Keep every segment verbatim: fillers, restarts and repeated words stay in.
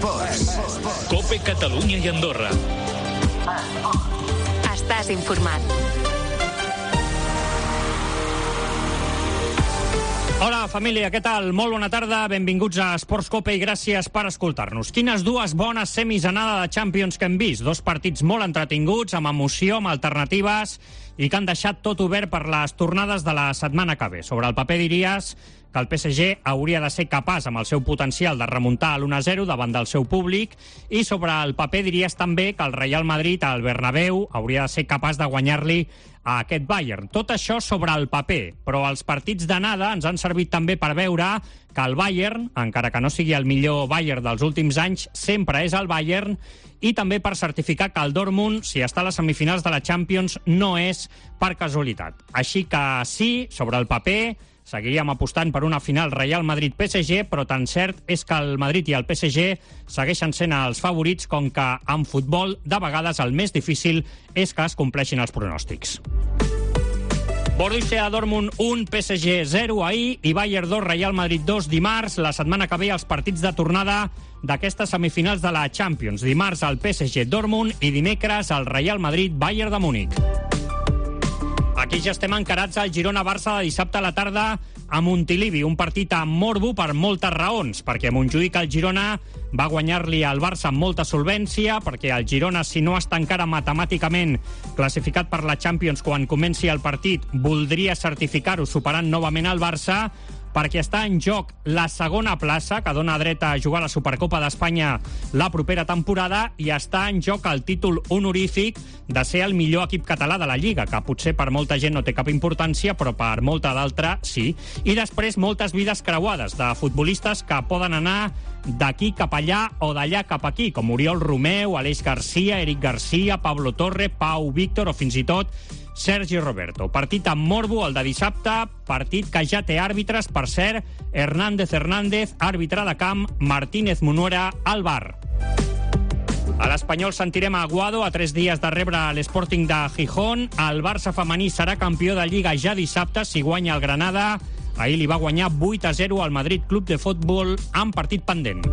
Esports. Cope Catalunya i Andorra. Estàs informat. Hola, família, què tal? Molt bona tarda, benvinguts a Esports Cope i gràcies per escoltar-nos. Quines dues bones semis anada de Champions que hem vist. Dos partits molt entretinguts, amb emoció, amb alternatives i que han deixat tot obert per les tornades de la setmana que ve. Sobre el paper diries que el P S G hauria de ser capaç, amb el seu potencial, de remuntar a l'u a zero davant del seu públic, i sobre el paper diries també que el Real Madrid, al Bernabéu, hauria de ser capaç de guanyar-li a aquest Bayern. Tot això sobre el paper, però els partits d'anada ens han servit també per veure que el Bayern, encara que no sigui el millor Bayern dels últims anys, sempre és el Bayern, i també per certificar que el Dortmund, si està a les semifinals de la Champions, no és per casualitat. Així que sí, sobre el paper, seguiríem apostant per una final Real Madrid-P S G, però tan cert és que el Madrid i el P S G segueixen sent els favorits, com que en futbol de vegades el més difícil és que es compleixin els pronòstics. Borussia Dortmund un, P S G zero ahir i Bayern dos, Real Madrid dos dimarts. La setmana que ve els partits de tornada d'aquestes semifinals de la Champions. Dimarts el P S G Dortmund i dimecres el Real Madrid Bayern de Múnich. Aquí ja estem encarats al Girona-Barça de dissabte a la tarda a Montilivi, un partit amb morbo per moltes raons, perquè a Montjuïc el Girona va guanyar-li al Barça amb molta solvència, perquè el Girona, si no està encara matemàticament classificat per la Champions quan comenci el partit, voldria certificar-ho superant novament el Barça, perquè està en joc la segona plaça, que dona dret a jugar a la Supercopa d'Espanya la propera temporada, i està en joc el títol honorífic de ser el millor equip català de la Lliga, que potser per molta gent no té cap importància, però per molta d'altra sí. I després moltes vides creuades de futbolistes que poden anar d'aquí cap allà o d'allà cap aquí, com Oriol Romeu, Aleix Garcia, Eric Garcia, Pablo Torre, Pau Víctor o fins i tot Sergi Roberto. Partit amb morbo, el de dissabte, partit que ja té àrbitres, per cert, Hernández Hernández, àrbitre de camp, Martínez Munuera, al V A R. A l'Espanyol sentirem a Aguado a tres dies de rebre l'Sporting de Gijón. El Barça femení serà campió de Lliga ja dissabte si guanya el Granada. Ahir li va guanyar vuit a zero al Madrid Club de Futbol amb partit pendent.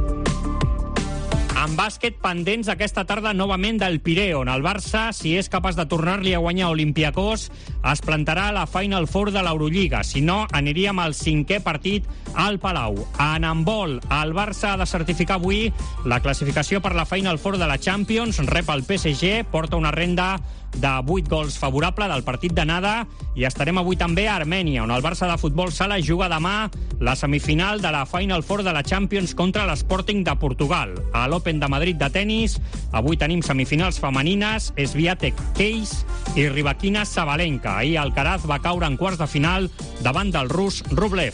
En bàsquet, pendents aquesta tarda novament del Pireo, on el Barça, si és capaç de tornar-li a guanyar Olympiacos, es plantarà a la Final Four de l'Eurolliga. Si no, aniríem al cinquè partit al Palau. En handbol, el Barça ha de certificar avui la classificació per la Final Four de la Champions, rep el P S G, porta una renda de vuit gols favorable del partit d'anada, i estarem avui també a Armènia, on el Barça de futbol sala juga demà la semifinal de la Final Four de la Champions contra l'Sporting de Portugal. A l'Open de Madrid de tennis, avui tenim semifinals femenines, Swiatek Keys i Rybakina Sabalenka. Ahir Alcaraz va caure en quarts de final davant del rus Rublev.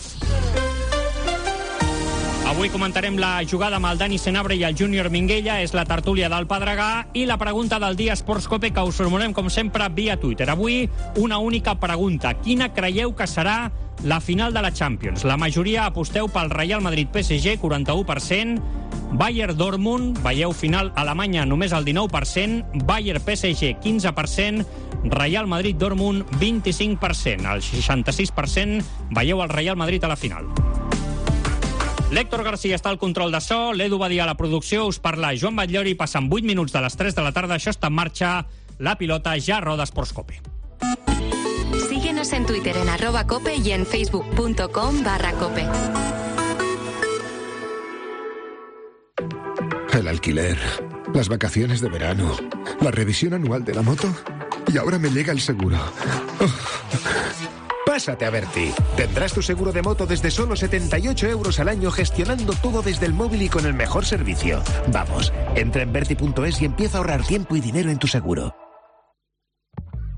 Avui comentarem la jugada amb el Dani Senabre i el Júnior Minguella, és la tertúlia del Pedregà, i la pregunta del dia Esports Cope, que us formulem com sempre via Twitter. Avui una única pregunta: quina creieu que serà la final de la Champions? La majoria aposteu pel Real Madrid-P S G, quaranta-u per cent, Bayern-Dortmund, veieu final Alemanya, només el dinou per cent, Bayern-P S G, quinze per cent, Real Madrid-Dortmund, vint-i-cinc per cent. El seixanta-sis per cent veieu el Real Madrid a la final. L'Héctor García està al control de so, l'Edu Badia a la producció, us parla Joan Batllori, passen vuit minuts de les tres de la tarda, això està en marxa, la pilota ja roda Esports Cope. Síguenos en Twitter en arroba cope y en facebook.com barra cope. El alquiler, las vacaciones de verano, la revisión anual de la moto y ahora me llega el seguro. Oh. Pásate a Berti. Tendrás tu seguro de moto desde solo setenta y ocho euros al año, gestionando todo desde el móvil y con el mejor servicio. Vamos, entra en berti punto es y empieza a ahorrar tiempo y dinero en tu seguro.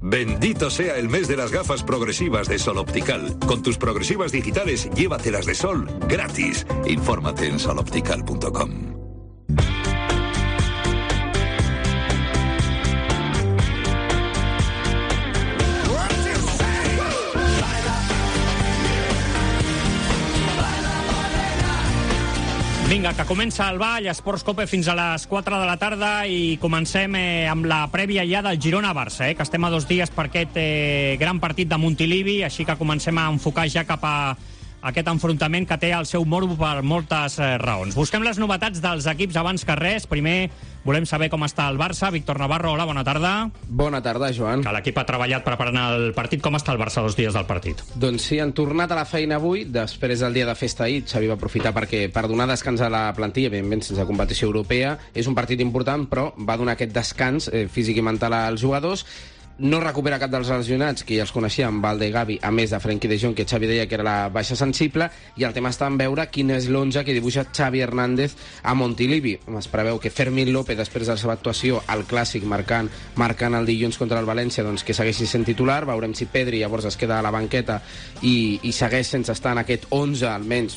Bendito sea el mes de las gafas progresivas de Sol Optical. Con tus progresivas digitales, llévatelas de sol gratis. Infórmate en sol optical punto com. Vinga, que comença el ball, Esports Cope fins a les quatre de la tarda, i comencem eh, amb la prèvia ja del Girona-Barça, eh, que estem a dos dies per aquest eh, gran partit de Montilivi, així que comencem a enfocar ja cap a aquest enfrontament que té el seu morbo per moltes eh, raons. Busquem les novetats dels equips abans que res. Primer, volem saber com està el Barça. Víctor Navarro, hola, bona tarda. Bona tarda, Joan. Que l'equip ha treballat preparant el partit. Com està el Barça dos dies del partit? Doncs sí, han tornat a la feina avui, després del dia de festa ahir. Xavi va aprofitar perquè per donar descans a la plantilla, evidentment sense competició europea. És un partit important, però va donar aquest descans eh, físic i mental als jugadors. No recupera cap dels lesionats, que ja els coneixíem, Valde i Gavi, a més de Frenkie de Jong, que Xavi deia que era la baixa sensible, i el tema està en veure quin és l'onze que dibuixa Xavi Hernández a Montilivi. Es preveu que Fermín López, després de la seva actuació al Clàssic, marcant, marcant el dilluns contra el València, doncs que segueixi sent titular. Veurem si Pedri llavors es queda a la banqueta i, i segueix sense estar en aquest onze, almenys,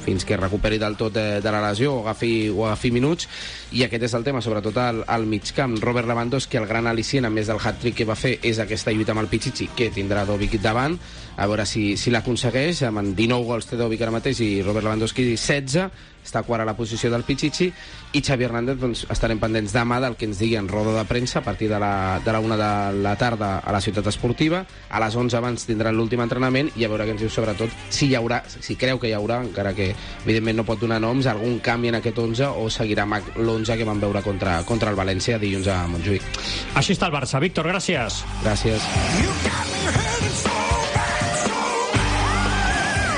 fins que recuperi del tot de, de la lesió o agafi, o agafi minuts. I aquest és el tema, sobretot al, al migcamp. Robert Lewandowski, el gran al·licient, a més del hat-trick que va fer, és aquesta lluita amb el Pichichi, que tindrà Dovic davant, a veure si, si l'aconsegueix. Amb dinou gols té Dovic ara mateix i Robert Lewandowski setze, està quart a la posició del Pichichi, i Xavi Hernández, doncs, estarem pendents demà del que ens digui en roda de premsa a partir de la, de la una de la tarda a la Ciutat Esportiva. A les onze abans tindran l'últim entrenament i a veure què ens diu sobretot si hi haurà, si creu que hi haurà, encara que evidentment no pot donar noms, algun canvi en aquest onze o seguirà amb l'onze que vam veure contra, contra el València dilluns a Montjuïc. Així està el Barça. Víctor, gràcies. Gràcies.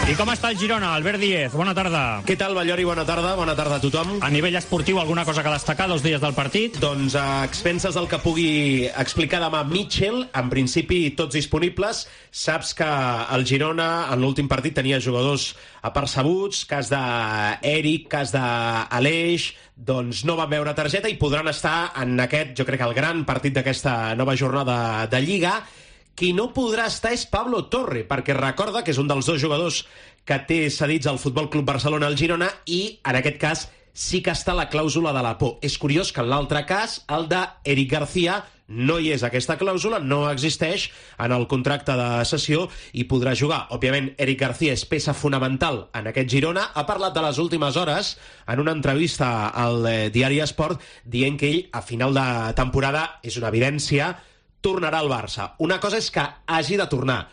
I com està el Girona? Albert Díez, bona tarda. Què tal, Ballori? Bona tarda. Bona tarda a tothom. A nivell esportiu, alguna cosa que destacar dos dies del partit? Doncs a expenses del que pugui explicar demà Mitchell, en principi tots disponibles. Saps que el Girona en l'últim partit tenia jugadors apercebuts, cas d'Eric, cas d'Aleix, doncs no van veure targeta i podran estar en aquest, jo crec que el gran partit d'aquesta nova jornada de Lliga. Qui no podrà estar és Pablo Torre, perquè recorda que és un dels dos jugadors que té cedits al Futbol Club Barcelona al Girona i, en aquest cas, sí que està la clàusula de la por. És curiós que en l'altre cas, el d'Eric García, no hi és aquesta clàusula, no existeix en el contracte de cessió i podrà jugar. Òbviament, Eric García és peça fonamental en aquest Girona. Ha parlat de les últimes hores en una entrevista al diari Esport dient que ell, a final de temporada, és una evidència, tornarà al Barça. Una cosa és que hagi de tornar.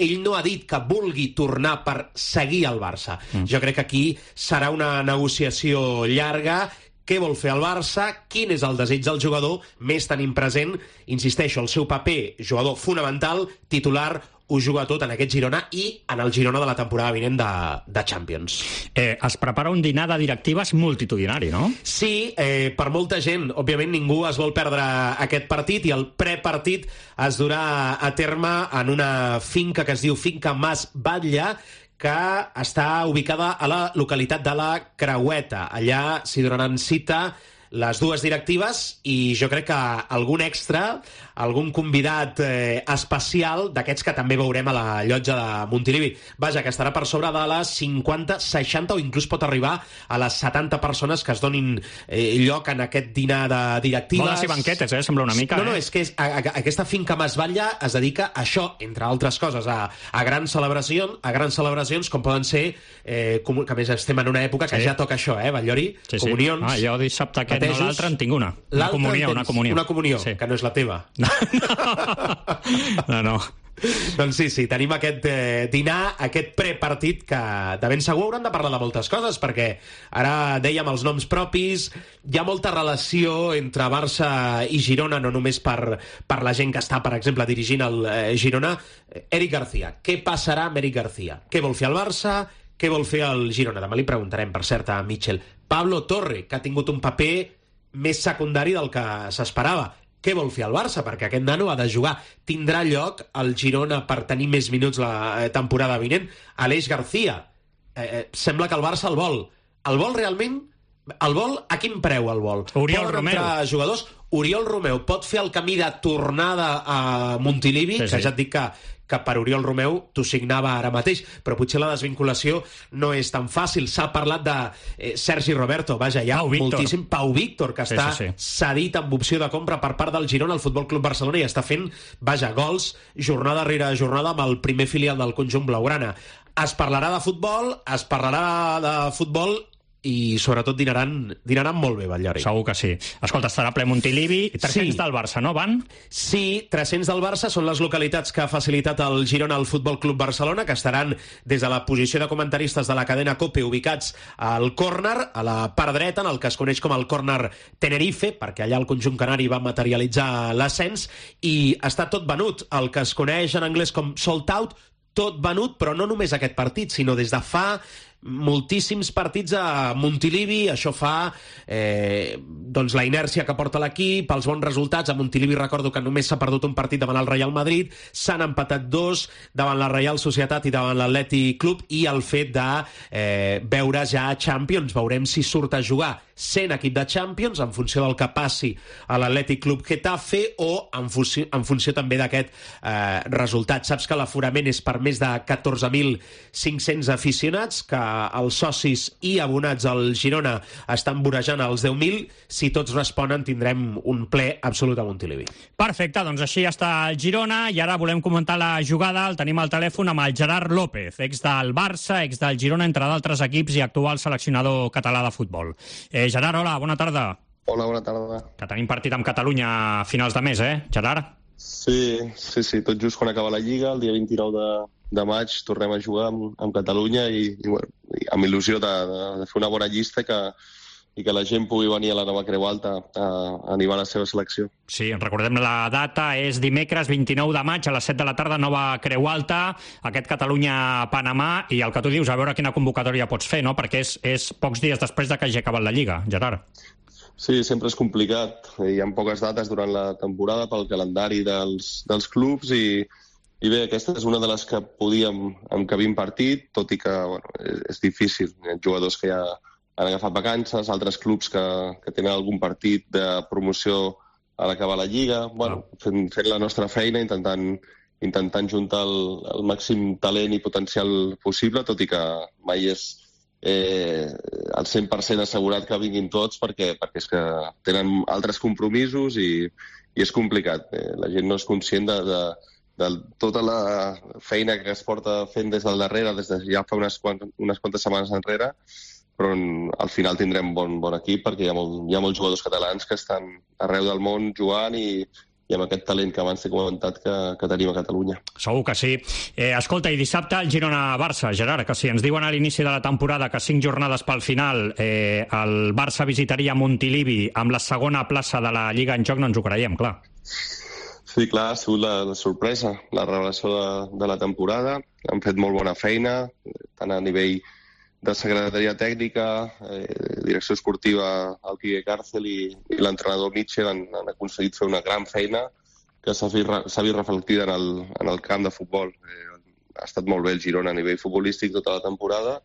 Ell no ha dit que vulgui tornar per seguir al Barça. Mm. Jo crec que aquí serà una negociació llarga. Què vol fer el Barça? Quin és el desig del jugador? Més tenint present, insisteixo, el seu paper, jugador fonamental, titular, ho juga tot en aquest Girona i en el Girona de la temporada vinent de, de Champions. Eh, es prepara un dinar de directives multitudinari, no? Sí, eh, per molta gent. Òbviament ningú es vol perdre aquest partit i el prepartit es durà a terme en una finca que es diu Finca Mas Batlle, que està ubicada a la localitat de la Creueta. Allà s'hi donaran cita les dues directives i jo crec que algun extra, algun convidat eh, especial d'aquests que també veurem a la llotja de Montilivi. Vaja, que estarà per sobre de les cinquanta, seixanta o inclús pot arribar a les setanta persones que es donin eh, lloc en aquest dinar de directives. Bodes i banquetes, eh? Sembla una mica. No, no, eh? és que és, a, a, aquesta finca Mas Batlle es dedica a això, entre altres coses, a, a grans celebracions, a grans celebracions com poden ser, eh, com, que a més estem en una època que sí. Ja toca això, eh, Ballori? Sí, sí. Comunions. Ah, jo dissabte aquest, no, l'altre en tinc una. Una comunió, una comunió. Una comunió, sí. Que no és la teva. No, no. Doncs sí, sí, tenim aquest eh, dinar, aquest prepartit que de ben segur hauran de parlar de moltes coses, perquè ara dèiem els noms propis, hi ha molta relació entre Barça i Girona, no només per, per la gent que està, per exemple, dirigint el eh, Girona. Eric García, què passarà amb Eric García? Què vol fer el Barça? Què vol fer el Girona? Demà li preguntarem, per cert, a Mitchell. Pablo Torre, que ha tingut un paper més secundari del que s'esperava. Què vol fer el Barça? Perquè aquest nano ha de jugar. Tindrà lloc el Girona per tenir més minuts la temporada vinent? Aleix García. Eh, sembla que el Barça el vol. El vol realment? El vol a quin preu el vol? Oriol Poden Romeu. entrar jugadors. Oriol Romeu pot fer el camí de tornada a Montilivi, sí, sí. Que ja et dic que, que per Oriol Romeu t'ho signava ara mateix, però potser la desvinculació no és tan fàcil. S'ha parlat de eh, Sergi Roberto, vaja, hi ha Pau moltíssim. Pau Víctor, que sí, està sí, sí. cedit amb opció de compra per part del Girona al Futbol Club Barcelona i està fent, vaja, gols jornada rere jornada amb el primer filial del conjunt blaugrana. Es parlarà de futbol, es parlarà de futbol i sobretot dinaran, dinaran molt bé, Batllori. Segur que sí. Escolta, estarà ple Montilivi, tres-cents sí. del Barça, no, van? Sí, tres-cents del Barça són les localitats que ha facilitat el Girona al Futbol Club Barcelona, que estaran des de la posició de comentaristes de la cadena COPE ubicats al córner, a la part dreta, en el que es coneix com el córner Tenerife, perquè allà el conjunt canari va materialitzar l'ascens, i està tot venut, el que es coneix en anglès com sold out, tot venut, però no només aquest partit, sinó des de fa moltíssims partits a Montilivi. Això fa eh, doncs la inèrcia que porta l'equip, els bons resultats. A Montilivi recordo que només s'ha perdut un partit davant el Real Madrid, s'han empatat dos davant la Real Societat i davant l'Atlètic Club, i el fet de eh, veure ja Champions, veurem si surt a jugar sent equip de Champions en funció del que passi a l'Atlètic Club Getafe o en funció, en funció també d'aquest eh, resultat. Saps que l'aforament és per més de catorze mil cinc-cents aficionats, que els socis i abonats al Girona estan vorejant els deu mil. Si tots responen, tindrem un ple absolut a Montilivi. Perfecte, doncs així està el Girona, i ara volem comentar la jugada. El tenim al telèfon amb el Gerard López, ex del Barça, ex del Girona, entre d'altres equips, i actual seleccionador català de futbol. Eh, Gerard, hola, bona tarda. Hola, bona tarda. Que tenim partit amb Catalunya a finals de mes, eh, Gerard? Sí, sí, sí, tot just quan acaba la Lliga, el dia vint-i-nou de, de maig, tornem a jugar amb, amb Catalunya i, i, bueno, i amb il·lusió de, de, de fer una bona llista que, i que la gent pugui venir a la nova Creu Alta a, a animar la seva selecció. Sí, recordem la data, és dimecres vint-i-nou de maig a les set de la tarda, nova Creu Alta, aquest Catalunya-Panamà, i el que tu dius, a veure quina convocatòria pots fer, no? Perquè és, és pocs dies després de que hagi acabat la Lliga, Gerard. Sí, sempre és complicat. Hi ha poques dates durant la temporada pel calendari dels, dels clubs i, i bé, aquesta és una de les que podíem encabir en partit, tot i que bueno, és, és difícil. Hi ha jugadors que ja han agafat vacances, altres clubs que, que tenen algun partit de promoció a l'acabar la Lliga. Bueno, fent, fent la nostra feina, intentant, intentant juntar el, el màxim talent i potencial possible, tot i que mai és eh, al cent per cent assegurat que vinguin tots, perquè, perquè és que tenen altres compromisos i, i és complicat. Eh, la gent no és conscient de, de, de tota la feina que es porta fent des del darrere, des de ja fa unes, quantes, unes quantes setmanes enrere, però al final tindrem bon, bon equip perquè hi ha, molt, hi ha molts jugadors catalans que estan arreu del món jugant i, i amb aquest talent que abans he comentat que, que tenim a Catalunya. Segur que sí. Eh, escolta, i dissabte el Girona-Barça, Gerard, que si ens diuen a l'inici de la temporada que cinc jornades pel final eh, el Barça visitaria Montilivi amb la segona plaça de la Lliga en joc, no ens ho creiem, clar. Sí, clar, ha sigut la, la sorpresa, la revelació de, de la temporada. Han fet molt bona feina, tant a nivell de secretaria tècnica, eh, direcció esportiva, el Quique Càrcel i, i l'entrenador Mitchell han, han aconseguit fer una gran feina que s'ha vist, vist reflectida en el, en el camp de futbol. Eh, ha estat molt bé el Girona a nivell futbolístic tota la temporada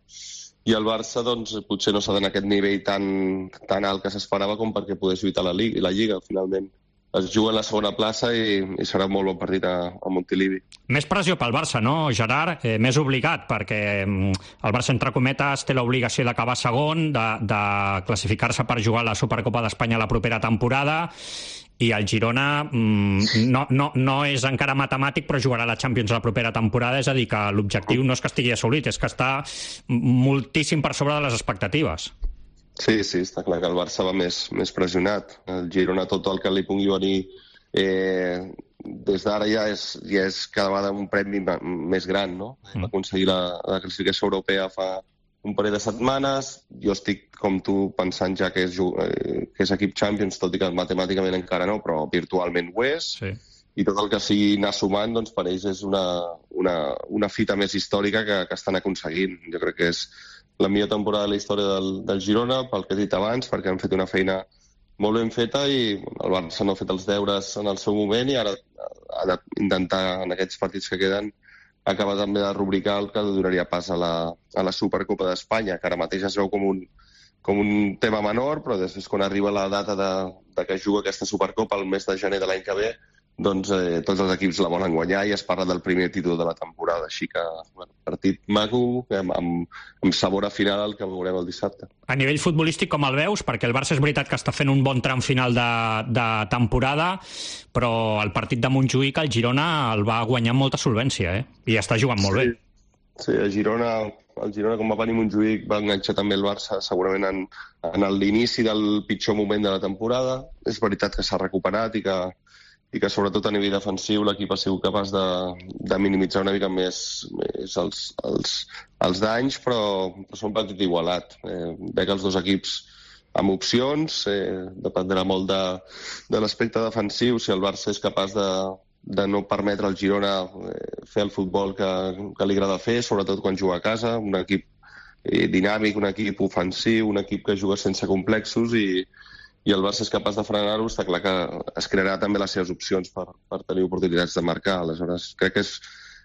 i el Barça doncs, potser no s'ha donat aquest nivell tan, tan alt que s'esperava com perquè pogués lluitar la Lliga, la Lliga finalment. Es juga en la segona plaça i, i serà un molt bon partit a, a Montilivi. Més pressió pel Barça, no, Gerard? Eh, més obligat, perquè el Barça, entre cometes, té l'obligació d'acabar segon, de, de classificar-se per jugar a la Supercopa d'Espanya la propera temporada, i el Girona mm, no, no, no és encara matemàtic, però jugarà a la Champions la propera temporada, és a dir, que l'objectiu no és que estigui assolit, és que està moltíssim per sobre de les expectatives. Sí, sí, està clar que el Barça va més, més pressionat. El Girona, tot el que li pugui venir eh, des d'ara ja és, ja és cada vegada un premi més gran, no? Mm. Va aconseguir la, la classificació europea fa un parell de setmanes. Jo estic, com tu, pensant ja que és, eh, que és equip Champions, tot i que matemàticament encara no, però virtualment ho és. Sí. I tot el que sigui anar sumant, doncs per ells és una, una, una fita més històrica que, que estan aconseguint. Jo crec que és la millor temporada de la història del, del Girona, pel que he dit abans, perquè han fet una feina molt ben feta i el Barça no ha fet els deures en el seu moment i ara ha d'intentar, en aquests partits que queden, acabar també de rubricar el que donaria pas a la, a la Supercopa d'Espanya, que ara mateix es veu com un, com un tema menor, però després quan arriba la data de, de que juga aquesta Supercopa el mes de gener de l'any que ve, doncs eh, tots els equips la volen guanyar i es parla del primer títol de la temporada. Així que, bueno, partit maco, amb, amb, amb sabor a final el que veurem el dissabte. A nivell futbolístic, com el veus? Perquè el Barça és veritat que està fent un bon tram final de, de temporada, però el partit de Montjuïc, el Girona el va guanyar amb molta solvència, eh? I està jugant molt sí. bé. Sí, a Girona el Girona, com va venir Montjuïc, va enganxar també el Barça, segurament en, en l'inici del pitjor moment de la temporada. És veritat que s'ha recuperat i que, i que sobretot a nivell defensiu l'equip ha sigut capaç de, de minimitzar una mica més, més els, els, els danys, però, però són un partit igualat. Eh, veig els dos equips amb opcions, eh, dependrà molt de, de l'aspecte defensiu, si el Barça és capaç de, de no permetre al Girona eh, fer el futbol que, que li agrada fer, sobretot quan juga a casa, un equip eh, dinàmic, un equip ofensiu, un equip que juga sense complexos i, i el Barça és capaç de frenar-ho, està clar que es crearà també les seves opcions per, per tenir oportunitats de marcar. Aleshores, crec que és,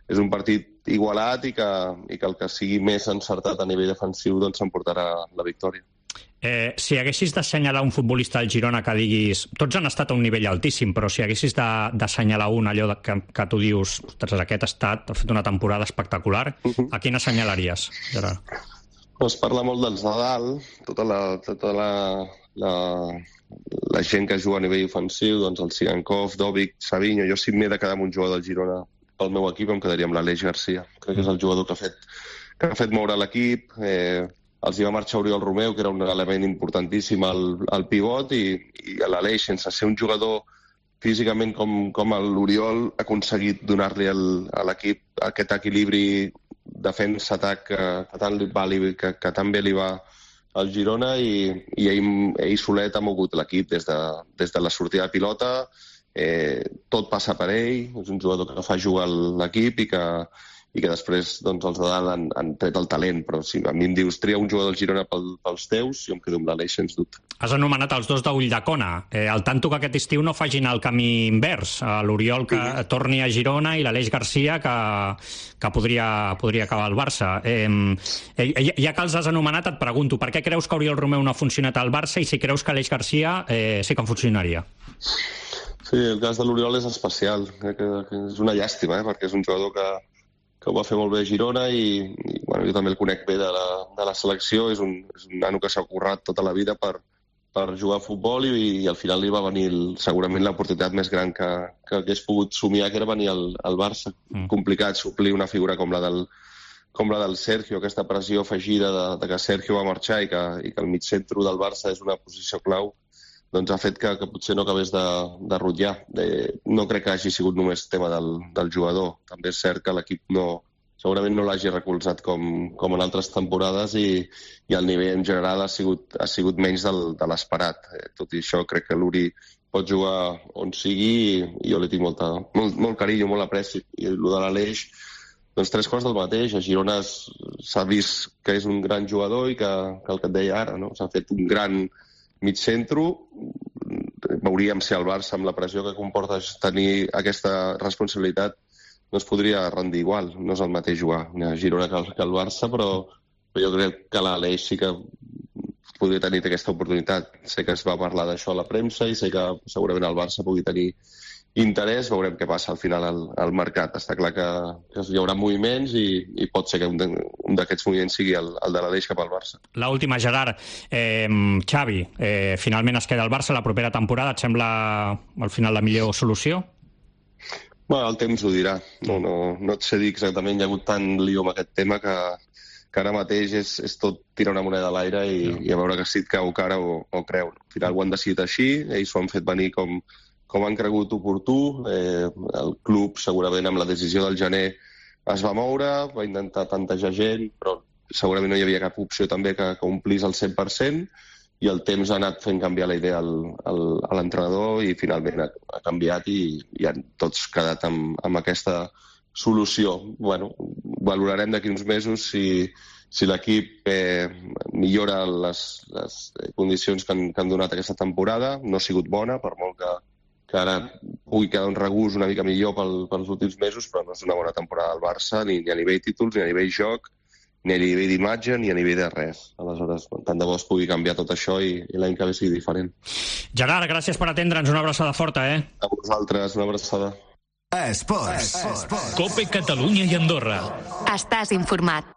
és un partit igualat i que, i que el que sigui més encertat a nivell defensiu doncs s'emportarà la victòria. Eh, si haguessis d'assenyalar un futbolista al Girona que diguis... Tots han estat a un nivell altíssim, però si haguessis d'assenyalar un, allò de, que, que tu dius ostres, aquest ha estat, ha fet una temporada espectacular, uh-huh. A quin assenyalaries, Gerard? Es parla molt dels de dalt, tota la, tota la, la, la gent que juga a nivell ofensiu, doncs el Sigankov, Dovic, Savinho. Jo si m'he de quedar amb un jugador del Girona pel meu equip em quedaria amb l'Aleix Garcia. Crec que és el jugador que ha fet, que ha fet moure l'equip. Eh, els hi va marxar Oriol Romeu, que era un element importantíssim al, al pivot, i, i l'Aleix, sense ser un jugador físicament com, com l'Oriol, ha aconseguit donar-li al, a l'equip aquest equilibri defensa-atac que, que, tant li va, que, que tan bé li va al Girona, i, i ell, ell solet ha mogut l'equip des, de, des de la sortida de pilota. Eh, tot passa per ell, és un jugador que fa jugar l'equip i que i que després doncs, els de dalt han, han tret el talent, però si a mi em dius tria un jugador del Girona pel, pels teus, jo em quedo amb l'Aleix, sens dubte. Has anomenat els dos d'Ulldecona. Eh, al tanto que aquest estiu no facin el camí invers. L'Oriol que sí. torni a Girona i l'Aleix Garcia que, que podria, podria acabar al Barça. Eh, eh, ja que els has anomenat, et pregunto, per què creus que Oriol Romeu no ha funcionat al Barça i si creus que Aleix Garcia eh, sí que funcionaria? Sí, el cas de l'Oriol és especial. Crec que, que és una llàstima, eh, perquè és un jugador que que ho va fer molt bé a Girona i, i bueno, jo també el conec bé de la, de la selecció. És un, és un nano que s'ha currat tota la vida per, per jugar a futbol i, i al final li va venir el, segurament l'oportunitat més gran que, que hagués pogut somiar, que era venir al, al Barça. Mm. Complicat suplir una figura com la del, com la del Sergio, aquesta pressió afegida de, de que Sergio va marxar i que, i que el mitjcentro del Barça és una posició clau, doncs ha fet que, que potser no acabés de, de rutllar. Eh, no crec que hagi sigut només tema del, del jugador. També és cert que l'equip no, segurament no l'hagi recolzat com, com en altres temporades i, i el nivell en general ha sigut, ha sigut menys del, de l'esperat. Eh, tot i això, crec que l'Uri pot jugar on sigui i, i jo li tinc molta, molt, molt carinyo, molt apreci. I el de l'Aleix, doncs tres coses del mateix. A Girona s'ha vist que és un gran jugador i que, que el que et deia ara, no? S'ha fet un gran mig centro. Veuríem si el Barça, amb la pressió que comporta tenir aquesta responsabilitat, no es podria rendir igual. No és el mateix jugar a Girona que el, que el Barça, però, però jo crec que l'Aleix sí que podria tenir aquesta oportunitat. Sé que es va parlar d'això a la premsa i sé que segurament el Barça pugui tenir interès. Veurem què passa al final al, al mercat. Està clar que, que hi haurà moviments i, i pot ser que un, de, un d'aquests moviments sigui el, el de l'Aleix cap al Barça. L'última, Gerard. Eh, Xavi, eh, finalment es queda al Barça la propera temporada. Et sembla al final la millor solució? Bueno, el temps ho dirà. No, no, no et sé dir exactament. Hi ha hagut tant lío amb aquest tema que, que ara mateix és, és tot tirar una moneda a l'aire i, no. i a veure que si et cau cara o, o creu. Al final ho han decidit així. Ells ho han fet venir com com han cregut oportú. Eh, el club, segurament, amb la decisió del gener es va moure, va intentar tantejar gent, però segurament no hi havia cap opció també que, que omplís el cent per cent, i el temps ha anat fent canviar la idea al, al, a l'entrenador i finalment ha, ha canviat i, i han tots quedat amb, amb aquesta solució. Bueno, valorarem d'aquí uns mesos si, si l'equip eh, millora les, les condicions que han, que han donat aquesta temporada. No ha sigut bona, per molt que que ara pugui quedar un regust una mica millor pel, pels últims mesos, però no és una bona temporada del Barça, ni, ni a nivell títols, ni a nivell joc, ni a nivell d'imatge, ni a nivell de res. Aleshores, tant de bo es pugui canviar tot això i, i l'any que ve sigui diferent. Gerard, gràcies per atendre'ns. Una abraçada forta, eh? A vosaltres, una abraçada. Esports. Esports. Cope Catalunya i Andorra. Estàs informat.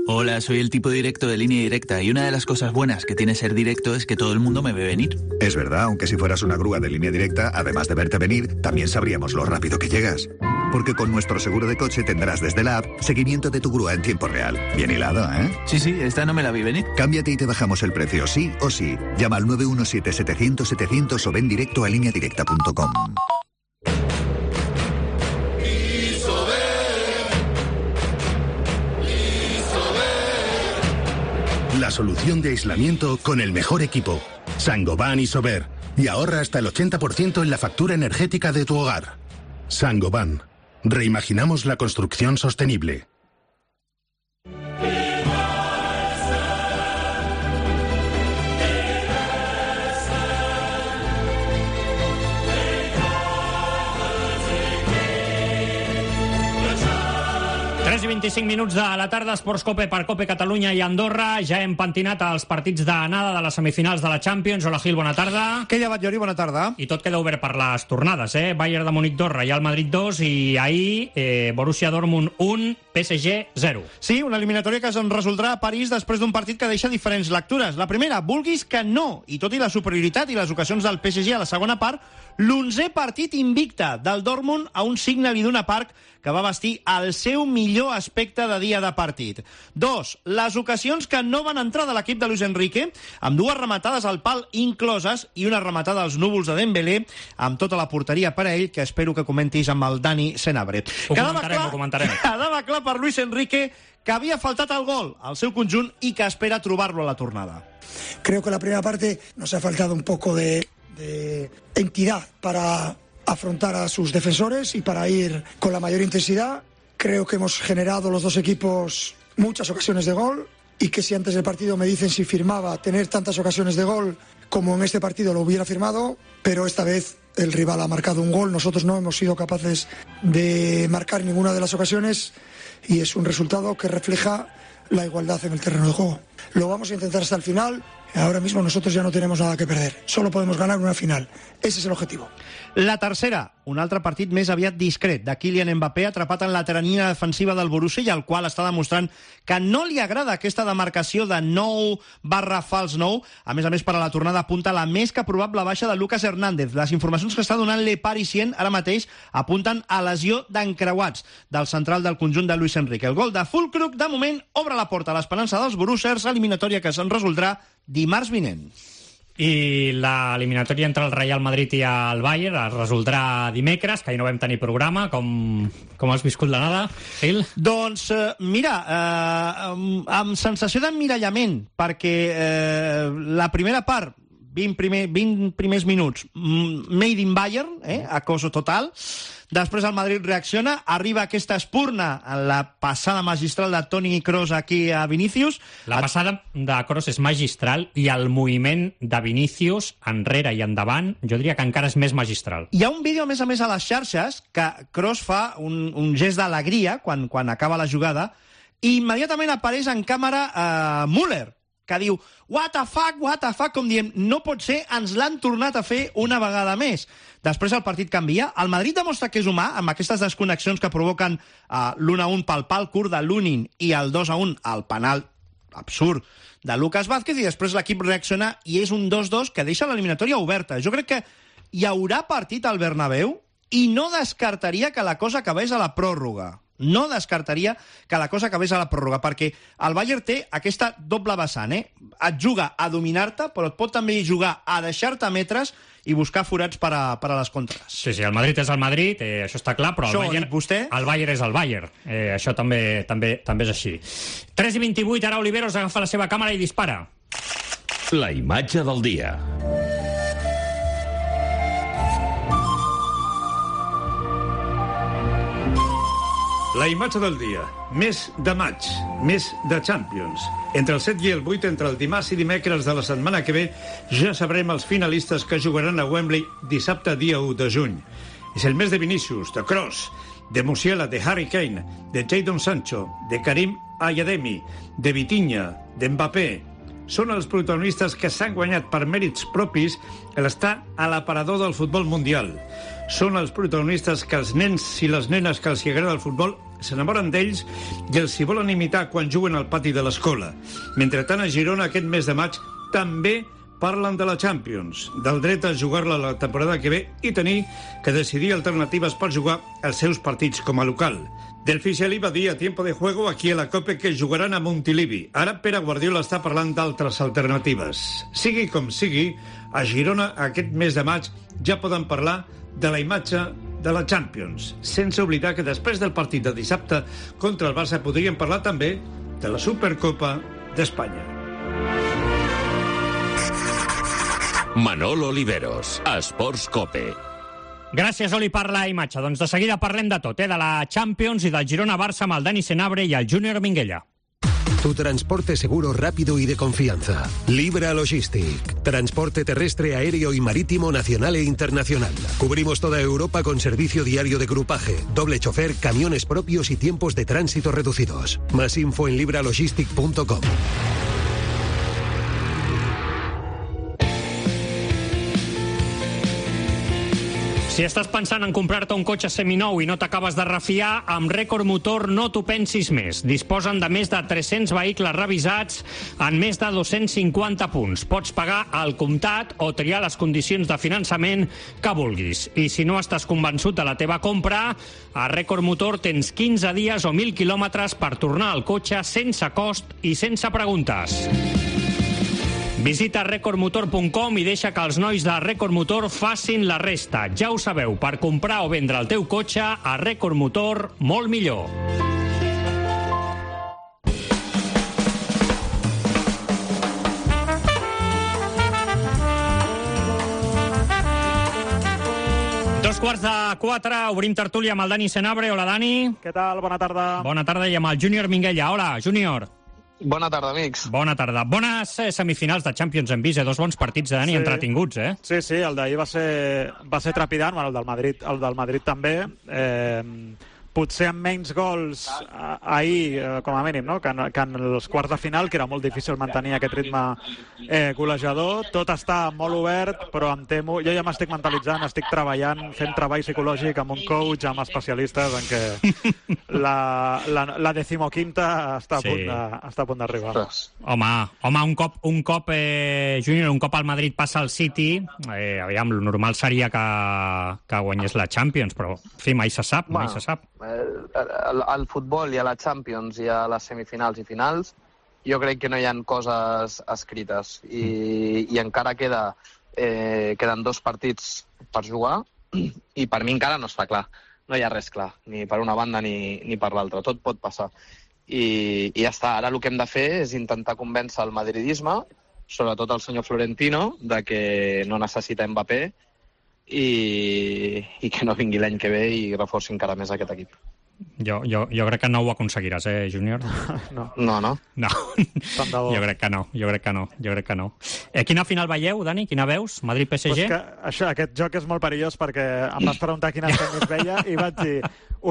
Hola, soy el tipo directo de Línea Directa y una de las cosas buenas que tiene ser directo es que todo el mundo me ve venir. Es verdad, aunque si fueras una grúa de Línea Directa, además de verte venir, también sabríamos lo rápido que llegas. porque con nuestro seguro de coche tendrás desde la app seguimiento de tu grúa en tiempo real. Bien hilado, ¿eh? Sí, sí, esta no me la vi venir. Cámbiate y te bajamos el precio, sí o sí. Llama al nueve uno siete, setecientos, setecientos o ven directo a línea directa punto com. La solución de aislamiento con el mejor equipo. Saint-Gobain Isover. Y ahorra hasta el ochenta por ciento en la factura energética de tu hogar. Saint-Gobain. Reimaginamos la construcción sostenible. tres i vint-i-cinc minuts de la tarda, Esports Cope per Cope Catalunya i Andorra. Ja hem pentinat els partits d'anada de les semifinals de la Champions. Hola, Gil, bona tarda. Què llevat, Jordi? Bona tarda. I tot queda obert per les tornades, eh? Bayern de Múnich dos, Real Madrid dos i ahir eh, Borussia Dortmund un, P S G zero. Sí, una eliminatòria que es resoldrà a París després d'un partit que deixa diferents lectures. La primera, vulguis que no, i tot i la superioritat i les ocasions del P S G a la segona part, l'onzè partit invicte del Dortmund a un Signal Iduna Park que va vestir el seu millor aspecte de dia de partit. Dos, les ocasions que no van entrar de l'equip de Luis Enrique, amb dues rematades al pal incloses i una rematada als núvols de Dembélé, amb tota la porteria per a ell, que espero que comentis amb el Dani Senabre. Ho comentarem, clar, ho comentarem. Quedava clar per Luis Enrique que havia faltat el gol al seu conjunt i que espera trobar-lo a la tornada. Creo que la primera parte nos ha faltado un poco de, de entidad para afrontar a sus defensores y para ir con la mayor intensidad. Creo que hemos generado los dos equipos muchas ocasiones de gol y que si antes del partido me dicen si firmaba tener tantas ocasiones de gol como en este partido lo hubiera firmado, pero esta vez el rival ha marcado un gol, nosotros no hemos sido capaces de marcar ninguna de las ocasiones y es un resultado que refleja la igualdad en el terreno de juego. Lo vamos a intentar hasta el final. Ahora mismo nosotros ya no tenemos nada que perder. Solo podemos ganar una final. Ese es el objetivo. La tercera, un altre partit més aviat discret, de Kylian Mbappé, atrapat en la teranyina defensiva del Borussia, i al qual està demostrant que no li agrada aquesta demarcació de nou barra fals nou. A més a més, per a la tornada apunta la més que probable baixa de Lucas Hernández. Les informacions que està donant Le Parisien ara mateix apunten a lesió d'encreuats del central del conjunt de Luis Enrique. El gol de Füllkrug, de moment, obre la porta a l'esperança dels Borussers, eliminatòria que se'n resoldrà dimarts vinent. I l'eliminatòria entre el Real Madrid i el Bayern es resoldrà dimecres, que ahir no vam tenir programa. Com, com has viscut l'anada, Gil? Doncs, eh, mira, eh, amb, amb sensació d'emmirallament, perquè eh, la primera part, vint, primer, vint primers minuts, made in Bayern, eh, acoso total. Després el Madrid reacciona, arriba aquesta espurna en la passada magistral de Toni Kroos aquí a Vinícius. La passada de Kroos és magistral i el moviment de Vinícius enrere i endavant, jo diria que encara és més magistral. Hi ha un vídeo, a més a més, a les xarxes que Kroos fa un, un gest d'alegria quan, quan acaba la jugada i immediatament apareix en càmera eh, Müller, que diu, what the fuck, what the fuck, com diem, no pot ser, ens l'han tornat a fer una vegada més. Després el partit canvia, el Madrid demostra que és humà, amb aquestes desconnexions que provoquen uh, l'un a un pel pal curt de Lunin i el dos a un al penal absurd de Lucas Vázquez, i després l'equip reacciona i és un dos dos que deixa l'eliminatòria oberta. Jo crec que hi haurà partit al Bernabéu i no descartaria que la cosa acabés a la pròrroga. No descartaria que la cosa acabés a la pròrroga, perquè el Bayern té aquesta doble vessant, eh? Et juga a dominar-te, però et pot també jugar a deixar-te metres i buscar forats per a, per a les contres. Sí, sí, el Madrid és el Madrid, eh, això està clar, però això el Bayern, vostè? el Bayern és el Bayern. Eh, això també, també, també és així. tres i vint-i-vuit, ara Oliveros agafa la seva càmera i dispara. La imatge del dia. La imatge del dia. Mes de maig, mes de Champions. Entre el set i el vuit, entre el dimarts i dimecres de la setmana que ve, ja sabrem els finalistes que jugaran a Wembley dissabte dia u de juny. És el mes de Vinícius, de Kroos, de Musiala, de Harry Kane, de Jadon Sancho, de Karim Ayademi, de Vitinha, de Mbappé. Són els protagonistes que s'han guanyat per mèrits propis l'estar a l'aparador del futbol mundial. Són els protagonistes que els nens i les nenes que els agrada el futbol s'enamoren d'ells i els hi volen imitar quan juguen al pati de l'escola. Mentre tant, a Girona aquest mes de maig també parlen de la Champions, del dret a jugar-la la temporada que ve i tenir que decidir alternatives per jugar els seus partits com a local. Del Fisialí va dir a Tiempo de Juego aquí a la Cope que jugaran a Montilivi. Ara Pere Guardiola està parlant d'altres alternatives. Sigui com sigui, a Girona aquest mes de maig ja poden parlar de la imatge de la Champions, sense oblidar que després del partit de dissabte contra el Barça podrien parlar també de la Supercopa d'Espanya. Manolo Oliveros, Esports Cope. Gràcies, Oli, per la imatge. Doncs de seguida parlem de tot, eh? De la Champions i del Girona-Barça amb el Dani Senabre i el Júnior Minguella. Tu transporte seguro, rápido y de confianza. Libra Logistic. Transporte terrestre, aéreo y marítimo nacional e internacional. Cubrimos toda Europa con servicio diario de grupaje, doble chofer, camiones propios y tiempos de tránsito reducidos. Más info en libralogistic punto com. Si estàs pensant en comprar-te un cotxe seminou i no t'acabes de refiar, amb Record Motor no t'ho pensis més. Disposen de més de tres-cents vehicles revisats en més de dos-cents cinquanta punts. Pots pagar al comptat o triar les condicions de finançament que vulguis. I si no estàs convençut de la teva compra, a Record Motor tens quinze dies o mil quilòmetres per tornar al cotxe sense cost i sense preguntes. Visita record motor punt com i deixa que els nois de Record Motor facin la resta. Ja ho sabeu, per comprar o vendre el teu cotxe, a Record Motor, molt millor. Dos quarts de quatre, obrim tertúlia amb el Dani Senabre. Hola, Dani. Què tal? Bona tarda. Bona tarda, i amb el Júnior Minguella. Hola, Júnior. Bona tarda, amics. Bona tarda. Bones eh, semifinals de Champions hem vist, eh? Dos bons partits de Dani, sí. Entretinguts, eh? Sí, sí, el d'ahir va ser, va ser trepidant, bueno, el del Madrid, el del Madrid també. Eh, potser amb menys gols ahir, eh, com a mínim, no? que, en, que en els quarts de final, que era molt difícil mantenir aquest ritme eh, golejador. Tot està molt obert, però em temo... Jo ja m'estic mentalitzant, estic treballant, fent treball psicològic amb un coach, amb especialistes, en què la, la, la decimoquinta està a Sí. punt de- està a punt d'arribar. Home, home, un cop, un cop eh, Júnior, un cop el Madrid passa al City, eh, aviam, el normal seria que, que guanyés la Champions, però, en fi, mai se sap, mai Bueno, se sap. al, al futbol i a la Champions i a les semifinals i finals jo crec que no hi ha coses escrites i, i encara queda eh, queden dos partits per jugar i per mi encara no està clar, no hi ha res clar ni per una banda ni, ni per l'altra, tot pot passar i, i ja està, ara el que hem de fer és intentar convèncer el madridisme, sobretot el senyor Florentino, de que no necessita Mbappé i, i que no vingui l'any que ve i reforci encara més aquest equip. Jo, jo, jo crec que no ho aconseguiràs, eh, Júnior? No. No, no. No. Jo crec que no, jo crec que no, jo crec que no. Eh, quina final veieu, Dani? Quina veus? Madrid-P S G? Pues que això, aquest joc és molt perillós perquè em vas preguntar quina semis veia i vaig dir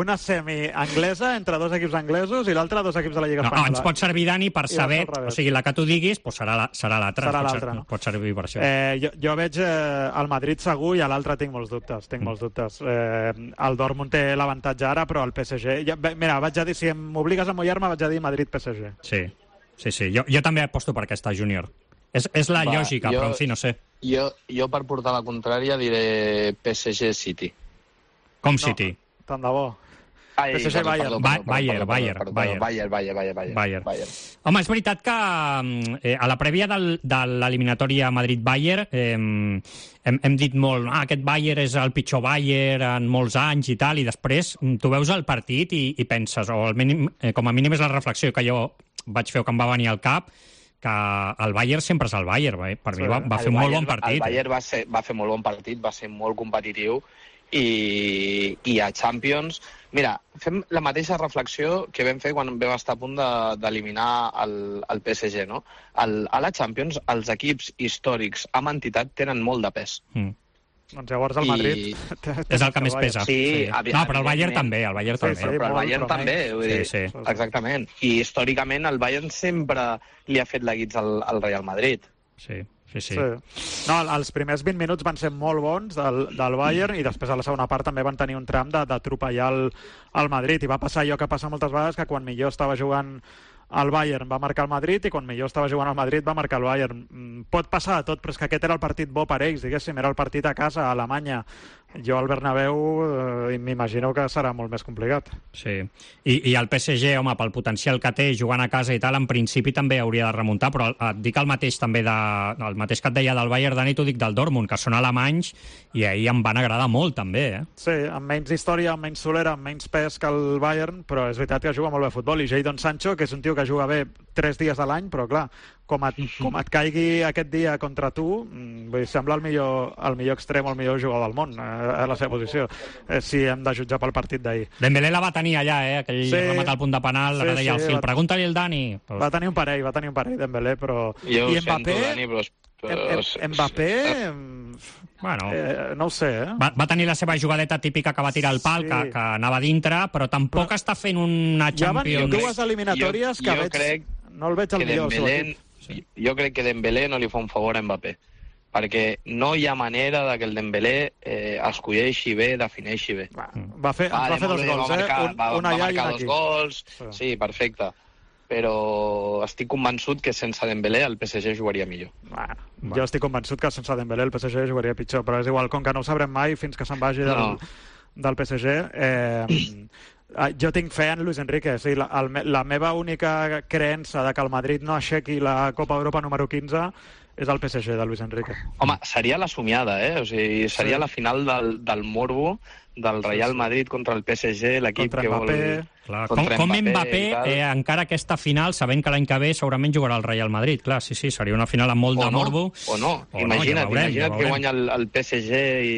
una semi anglesa entre dos equips anglesos i l'altra dos equips de la Lliga No, Espanyola. ens pot servir, Dani, per I va saber, ser al revés. o sigui, la que tu diguis, pues serà la- serà l'altra. Serà Pot ser- l'altra, no? Pot servir per això. Eh, jo, jo veig eh, el Madrid segur i a l'altre tinc molts dubtes. Tinc molts dubtes. Eh, el Dortmund té l'avantatge ara, però el P S G... Ja, bé, mira, vaig a dir, si m'obligues a mullar-me, vaig a dir Madrid-P S G. Sí, sí, sí. Jo, jo també aposto per aquesta, Júnior. És, és la Va, lògica, jo- però en fi, no sé. Jo, jo per portar la contrària diré P S G-City. Com City? Tant de bo. Ai, P S G perdó, Bayern. perdó, perdó, Bayern, perdó, Bayern, perdó, Bayern. Bayern, Bayern, Bayern, Bayern. Bayern. Home, és veritat que eh, a la prèvia del, de l'eliminatòria Madrid-Bayern eh, hem, hem dit molt, ah, aquest Bayern és el pitjor Bayern en molts anys i tal, i després mm, tu veus el partit i, i penses, o al mínim, eh, com a mínim és la reflexió que jo vaig fer o que em va venir al cap, que el Bayern sempre és el Bayern. Eh? Per mi va, va fer un molt bon partit. El Bayern va, ser, va fer molt bon partit, va ser molt competitiu i, i a Champions... Mira, fem la mateixa reflexió que vam fer quan vam estar a punt de- d'eliminar el, el P S G, no? El, a la Champions, els equips històrics amb entitat tenen molt de pes. Mm. Doncs llavors el Madrid... I... És el que més pesa. Sí, sí. No, però el Bayern també, el Bayern Sí, també. sí, però el Bayern també, vull dir, Sí, sí. exactament. I històricament el Bayern sempre li ha fet la guitza al, al Real Madrid. Sí, sí, sí. sí. No, els primers vint minuts van ser molt bons del, del Bayern i després a la segona part també van tenir un tram de- d'atropellar el, el Madrid i va passar allò que passa moltes vegades, que quan millor estava jugant el Bayern va marcar el Madrid i quan millor estava jugant el Madrid va marcar el Bayern. Pot passar de tot, però és que aquest era el partit bo per ells, diguéssim, era el partit a casa, a Alemanya. Jo al Bernabéu eh, m'imagino que serà molt més complicat. Sí, I, i el P S G, home, pel potencial que té jugant a casa i tal, en principi també hauria de remuntar, però et dic el mateix també de, el mateix que et deia del Bayern, Dani, t'ho dic del Dortmund, que són alemanys i ahir em van agradar molt també, eh? Sí, amb menys història, amb menys solera, amb menys pes que el Bayern, però és veritat que juga molt bé a futbol, i Jadon Sancho, que és un tio que juga bé tres dies a l'any, però clar, com et, com et caigui aquest dia contra tu, vull dir, sembla el millor, el millor extrem o el millor jugador del món, eh, a la seva posició, eh, si hem de jutjar pel partit d'ahir. Dembélé la va tenir allà, eh, aquell sí, remat al punt de penal, sí, ara deia sí, el fil, va... pregunta-li el Dani. Pues... Va tenir un parell, va tenir un parell Dembélé, però... Jo I ho Mbappé, sento, Dani, però... però... Mbappé... Bueno, eh, no ho sé, eh? Va, va tenir la seva jugadeta típica que va tirar al pal, sí. que, que anava dintre, però tampoc però... està fent una Champions... Ja van dues eliminatòries jo, que jo veig... Crec no el veig al millor. Dembélé, sí. Jo crec que Dembélé no li fa un favor a Mbappé, perquè no hi ha manera de que el Dembélé eh, escolleixi bé, defineixi bé. Va, va fer, va, va fer dos gols, eh? Marcar, un, va, una va allà i marcar una dos aquí. gols, sí. sí, perfecte. Però estic convençut que sense Dembélé el P S G jugaria millor. Bueno, bueno. Jo estic convençut que sense Dembélé el P S G jugaria pitjor, però és igual, com que no ho sabrem mai fins que se'n vagi del, no. del P S G... Eh, jo tinc fe en Luis Enrique. Sí, la, el, la meva única creença de que el Madrid no aixequi la Copa Europa número quinze és el P S G de Luis Enrique. Home, seria la somiada, eh? O sigui, seria sí. la final del, del morbo del Real Madrid contra el P S G, l'equip que vol... Clar, com, com Mbappé, eh, encara aquesta final, sabent que l'any que ve segurament jugarà el Real Madrid. Clar, sí, sí, seria una final amb molt o de no, morbo. O no, o imagina't, no, ja veurem, imagina't ja que guanya el, el P S G i,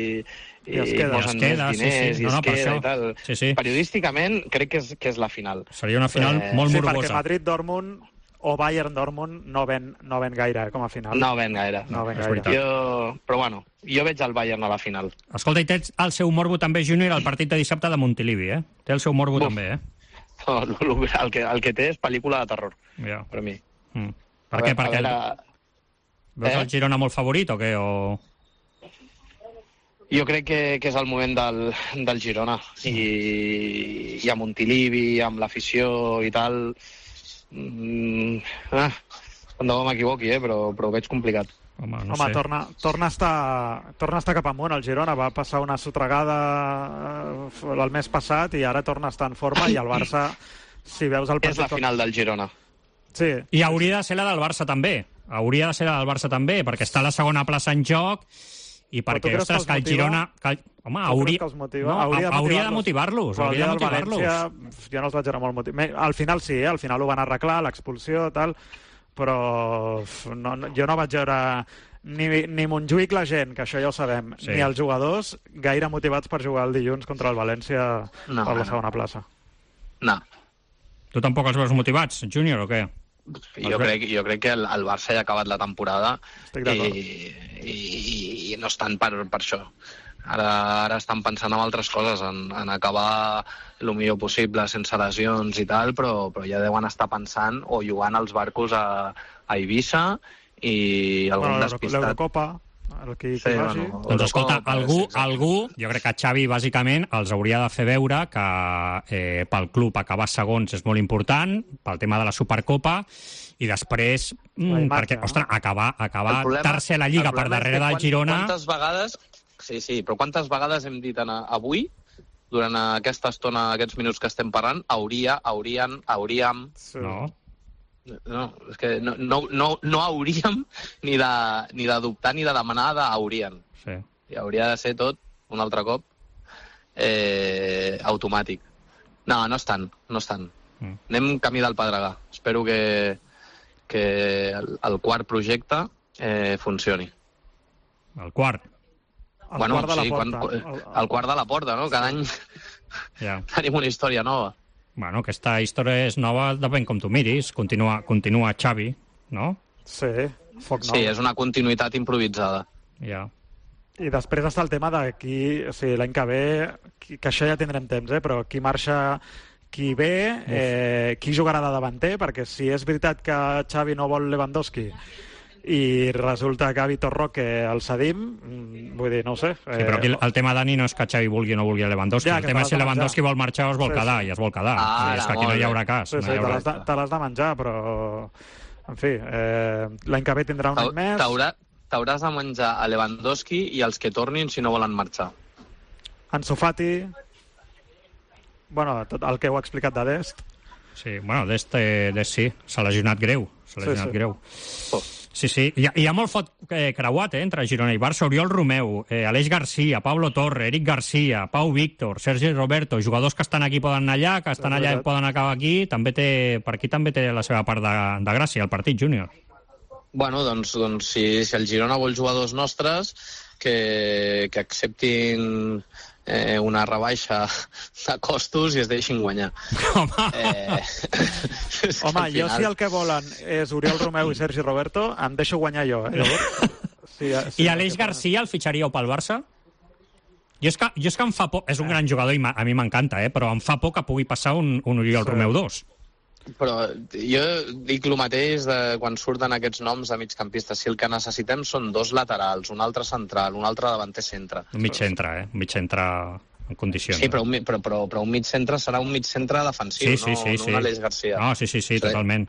i, I es queda, posen es queda, més diners sí, sí. i No, es no, queda i tal. Sí, sí. Periodísticament crec que és, que és la final. Seria una final eh, molt sí, morbosa. Sí, perquè Madrid-Dortmund o Bayern-Dortmund no ven, no ven gaire com a final. No ven gaire. No ven gaire. Jo, però bueno, jo veig el Bayern a la final. Escolta, i tens el seu morbo també, Júnior, el partit de dissabte de Montilivi, eh? Té el seu morbo Buf. també, eh? No, el, que, el que té és pel·lícula de terror, ja. per mi. Mm. Per què? Perquè veure... veus eh? el Girona molt favorit o què? O... Jo crec que, que és el moment del, del Girona. I, i a Montilivi, amb l'afició i tal... Mm, ah, tant de bo m'equivoqui, eh? però, però ho veig complicat. Home, no Home sé. torna, torna, a estar, torna a estar cap amunt el Girona. Va passar una sotregada el mes passat i ara torna a estar en forma, i el Barça, si veus el partit... És la final del Girona. Sí. I hauria de ser la del Barça també. Hauria de ser la del Barça també, perquè està a la segona plaça en joc i perquè, ostres, que el Girona... Que, home, hauria, que no, hauria, hauria de motivar-los. Hauria de motivar-los. València, jo no els vaig anar molt motivats. Al final sí, eh? Al final ho van arreglar, l'expulsió, tal, però no, no, jo no vaig veure ni, ni Montjuïc la gent, que això ja ho sabem, sí. ni els jugadors gaire motivats per jugar el dilluns contra el València no, per la segona plaça. No. Tu tampoc els veus motivats, Júnior, o què? Jo crec, jo crec que el, el Barça ja ha acabat la temporada i, i, i no estan per, per això. Ara, ara estan pensant en altres coses, en, en acabar el millor possible sense lesions i tal, però, però ja deuen estar pensant o jugant als barcos a, a Eivissa i algun bueno, despistat. L'Eurocopa, el que, sí, que bueno, doncs escolta, algú, algú, jo crec que Xavi bàsicament els hauria de fer veure que eh, pel club acabar segons és molt important, pel tema de la Supercopa, i després, mm, imatge, perquè, no? ostres, acabar, acabar problema, tercer a la Lliga per darrere del Girona... Quantes vegades, sí, sí, però quantes vegades hem dit en, avui, durant aquesta estona, aquests minuts que estem parlant, hauria, haurien, hauríem... Sí. No. No, és que no, no, no, no hauríem ni de, ni de dubtar ni de demanar de haurien. Sí. I hauria de ser tot, un altre cop, eh, automàtic. No, no estan, no estan. Mm. Anem camí del Pedregà. Espero que, que el, el quart projecte eh, funcioni. El quart? El bueno, quart de la sí, porta. Quan, el, el quart de la porta, no? Cada any ja. tenim una història nova. Bueno, aquesta història és nova, depèn com tu miris. Continua, continua Xavi, no? Sí, foc nou. Sí, és una continuïtat improvisada. Ja. I després està el tema de qui... O sigui, l'any que ve, qui, que això ja tindrem temps, eh? Però qui marxa, qui ve, eh, qui jugarà de davanter, perquè si és veritat que Xavi no vol Lewandowski i resulta que Vitor Roque el cedim, vull dir, no ho sé. Sí, però aquí el tema, Dani, no és que Xavi vulgui o no vulgui a Lewandowski. Ja, el tema és si Lewandowski vol marxar o es vol Sí, quedar, sí. i es vol quedar. Ah, és que aquí no hi haurà cas. Sí, no sí, hi haurà... te l'has de, te l'has de menjar, però... En fi, eh, l'any que ve tindrà un any més... T'haurà- T'hauràs de menjar a Lewandowski i els que tornin si no volen marxar. Ansu Fati... Bueno, tot el que heu explicat de Dest. Sí, bueno, Dest, eh, Dest sí, s'ha lesionat greu. S'ha Sí, lesionat sí. greu. Sí, sí. Hi ha, hi ha molt fot eh, creuat eh, entre Girona i Barça. Oriol Romeu, eh, Aleix Garcia, Pablo Torre, Eric Garcia, Pau Víctor, Sergi Roberto, jugadors que estan aquí poden anar allà, que estan allà i poden acabar aquí. També té, per aquí també té la seva part de, de gràcia, el partit, Júnior. Bueno, doncs, doncs si, si el Girona vol jugadors nostres, que, que acceptin eh, una rebaixa de costos i es deixin guanyar. Home, eh, Home, jo si el que volen és Oriol Romeu i Sergi Roberto, em deixo guanyar jo. Eh? Sí, sí, I Aleix Garcia el fitxaríeu pel Barça? Jo és que, jo és que em fa por... És un gran jugador i a mi m'encanta, eh? Però em fa por que pugui passar un, un Oriol Sí. Romeu dos. Però jo dic el mateix de quan surten aquests noms de migcampistes. Si el que necessitem són dos laterals, un altre central, un altre davanter centre. Un mig centre, eh? Un mig centre en condicions. Sí, però un, mi- però, però, però un mig centre serà un mig centre defensiu, Sí, sí, no, sí, no sí. un Aleix Garcia. No, sí, sí, sí, totalment.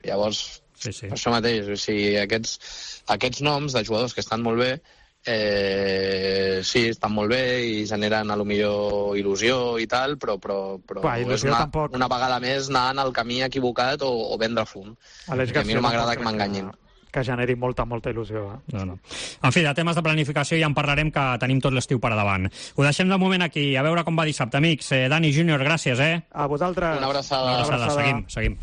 Llavors, Sí, sí. per això mateix, o sigui, aquests, aquests noms de jugadors que estan molt bé, eh, sí, estan molt bé i generen a lo millor il·lusió i tal, però, però, però Buah, és il·lusió una, tampoc. una vegada més anar en el camí equivocat o, o vendre fum. Aleix I a mi Garcia no m'agrada tampoc que crec m'enganyin. que generi molta, molta il·lusió. Eh? No, no. En fi, de temes de planificació ja en parlarem, que tenim tot l'estiu per davant. Ho deixem de moment aquí, a veure com va dissabte, amics. Eh, Dani Júnior, gràcies, eh? A vosaltres. Una abraçada. Una abraçada. abraçada. Seguim, seguim.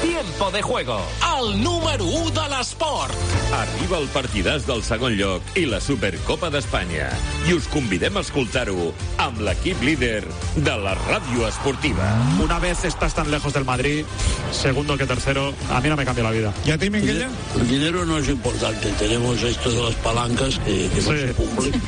Tiempo de juego, el número u de l'esport. Arriba el partidàs del segon lloc i la Supercopa d'Espanya. I us convidem a escoltar-ho amb l'equip líder de la ràdio esportiva. Una vez estás tan lejos del Madrid, segundo que tercero, a mí no me cambia la vida. ¿Y a ti, Minguella? El dinero no es importante, tenemos esto de las palancas que, que no Sí. se cumplen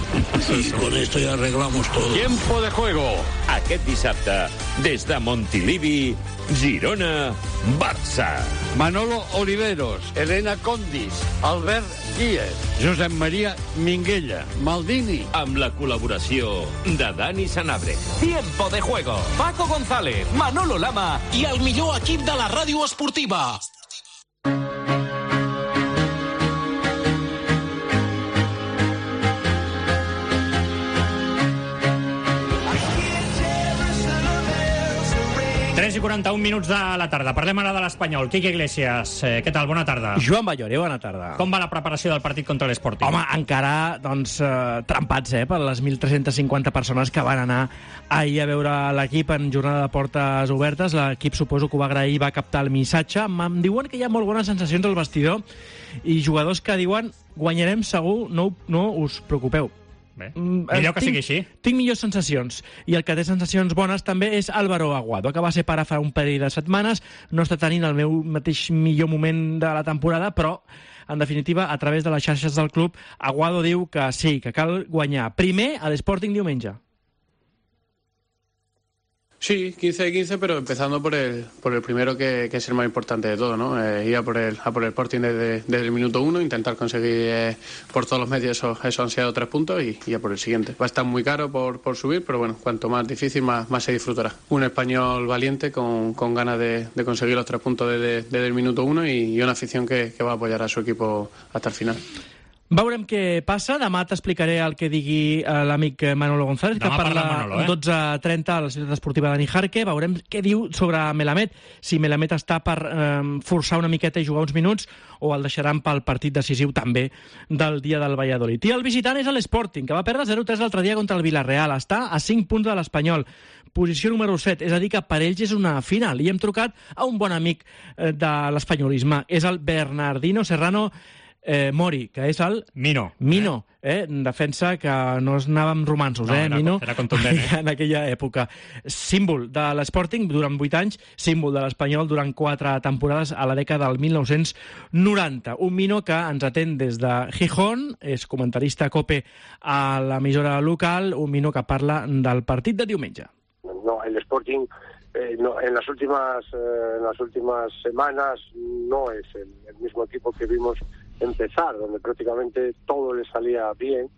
y con esto ya arreglamos todo. Tiempo de juego. Aquest dissabte, des de Montilivi, Girona, Barça. Manolo Oliveros, Elena Condis, Albert Díez, Josep Maria Minguella, Maldini. Amb la col·laboració de Dani Sanabria. Tiempo de juego, Paco González, Manolo Lama i el millor equip de la ràdio esportiva. tres i quaranta-un minuts de la tarda. Parlem ara de l'Espanyol. Quique Iglesias, eh, què tal? Bona tarda. Joan Ballore, bona tarda. Com va la preparació del partit contra l'Sporting? Home, encara, doncs, eh, trempats, eh, per les mil tres-centes cinquanta persones que van anar ahir a veure l'equip en jornada de portes obertes. L'equip, suposo que ho va agrair i va captar el missatge. Em diuen que hi ha molt bones sensacions al vestidor i jugadors que diuen guanyarem segur, no, no us preocupeu. Bé, Mm, millor que tinc, sigui així. Tinc millors sensacions. I el que té sensacions bones també és Álvaro Aguado, que va ser pare fa un parell de setmanes. No està tenint el meu mateix millor moment de la temporada, però, en definitiva, a través de les xarxes del club, Aguado diu que sí, que cal guanyar. Primer, a l'Sporting diumenge. Sí, quince de quince, pero empezando por el por el primero, que, que es el más importante de todo, ¿no? Eh, ir a por el, a por el Sporting desde, desde el minuto uno, intentar conseguir eh, por todos los medios esos, esos ansiados tres puntos y, y a por el siguiente. Va a estar muy caro por, por subir, pero bueno, cuanto más difícil, más, más se disfrutará. Un español valiente, con, con ganas de, de conseguir los tres puntos desde, desde el minuto uno y, y una afición que, que va a apoyar a su equipo hasta el final. Veurem què passa. Demà t'explicaré el que digui eh, l'amic Manolo González, que Demà parla parla Manolo, eh? dotze trenta a la ciutat esportiva de Nijarque. Veurem què diu sobre Melamed, si Melamed està per eh, forçar una miqueta i jugar uns minuts o el deixaran pel partit decisiu també del dia del Valladolid. I el visitant és l'Sporting, que va perdre zero tres l'altre dia contra el Villarreal. Està a cinc punts de l'Espanyol. Posició número set, és a dir, que per ells és una final. I hem trucat a un bon amic eh, de l'espanyolisme. És el Bernardino Serrano Eh, Mori, que és el... Mino. Mino, eh? Defensa que no es anava amb romansos, No, eh, era- Mino? era contundent, eh? En aquella època. Símbol de l'Sporting durant vuit anys, símbol de l'Espanyol durant quatre temporades a la dècada del mil nou-cents noranta. Un Mino que ens atén des de Gijón, és comentarista COPE a l'emissora local, un Mino que parla del partit de diumenge. No, el Sporting eh, no, en las últimas eh, en las últimas semanas no es el, el mismo equipo que vimos empezar, donde prácticamente todo le salía bien.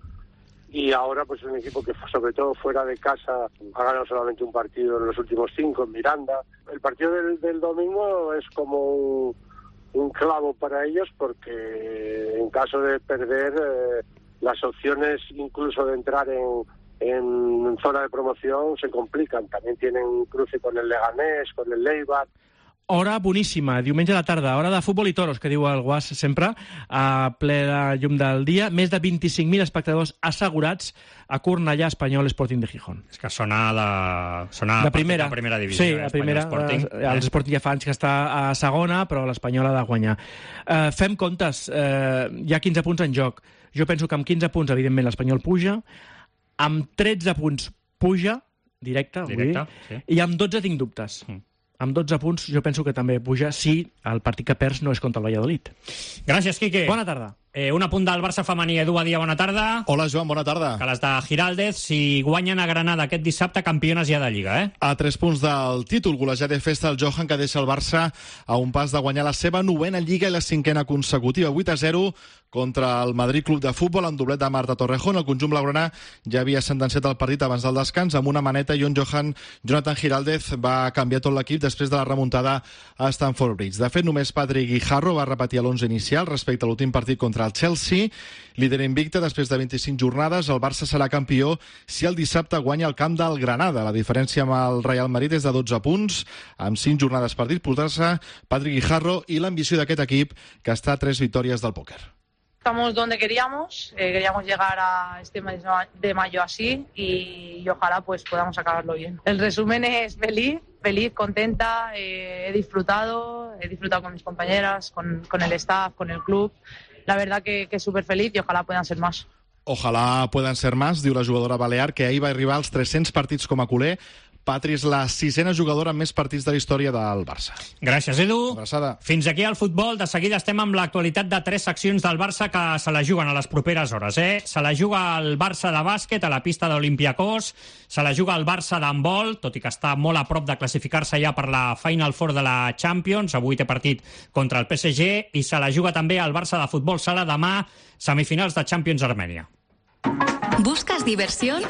Y ahora pues es un equipo que sobre todo fuera de casa ha ganado solamente un partido en los últimos cinco en Miranda. El partido del, del domingo es como un, un clavo para ellos, porque en caso de perder eh, las opciones incluso de entrar en, en zona de promoción se complican. También tienen un cruce con el Leganés, con el Eibar. Hora boníssima, diumenge a la tarda, hora de futbol i toros, que diu el Guas sempre, a ple de llum del dia. Més de vint-i-cinc mil espectadors assegurats a Cornellà Espanyol Sporting de Gijón. És que sona la, sona la primera, la primera divisió. Sí, la primera. Sporting. Eh, el Sporting ja fa anys que està a segona, però l'Espanyol ha de guanyar. Eh, fem comptes, eh, hi ha quinze punts en joc. Jo penso que amb quinze punts, evidentment, l'Espanyol puja, amb tretze punts puja, directe, Directe, vull dir, sí. i amb dotze tinc dubtes. Mm. Amb dotze punts jo penso que també puja si el partit que perds no és contra el Valladolid. Gràcies, Quique. Bona tarda. Eh, un apunt del Barça femení. Edu Badia, bona tarda. Hola, Joan, bona tarda. Que les de Giraldez, si guanyen a Granada aquest dissabte, campiones ja de Lliga, eh? A tres punts del títol, golejat de festa el Johan, que deixa el Barça a un pas de guanyar la seva novena Lliga i la cinquena consecutiva, vuit a zero contra el Madrid Club de Futbol, amb doblet de Marta Torrejón. El conjunt blaugrana ja havia sentenciat el partit abans del descans amb una maneta, i on Johan Jonathan Giraldez va canviar tot l'equip després de la remuntada a Stamford Bridge. De fet, només Patrick Guijarro va repetir l'onze inicial respecte a l'últim partit contra el Chelsea. Líder invicte després de vint-i-cinc jornades, el Barça serà campió si el dissabte guanya el camp del Granada. La diferència amb el Real Madrid és de dotze punts, amb cinc jornades per disputar-se. Patrick Guijarro i l'ambició d'aquest equip, que està a tres victòries del pòquer. Estamos donde queríamos, eh, queríamos llegar a este mes de mayo así y, y ojalá pues podamos acabarlo bien. El resumen es feliz, feliz, contenta, eh, he disfrutado, he disfrutado con mis compañeras, con, con el staff, con el club. La verdad que, que súper feliz y ojalá puedan ser más. Ojalà puedan ser más, diu la jugadora balear, que ahir va arribar als tres-cents partits com a culer. Patri és la sisena jugadora amb més partits de la història del Barça. Gràcies, Edu. Abraçada. Fins aquí el futbol. De seguida estem amb l'actualitat de tres seccions del Barça que se la juguen a les properes hores. Eh? Se la juga el Barça de bàsquet a la pista d'Olympiacos, se la juga el Barça d'handbol, tot i que està molt a prop de classificar-se ja per la Final Four de la Champions. Avui té partit contra el P S G, i se la juga també el Barça de futbol sala demà, semifinals de Champions Armènia. ¿Buscas diversión?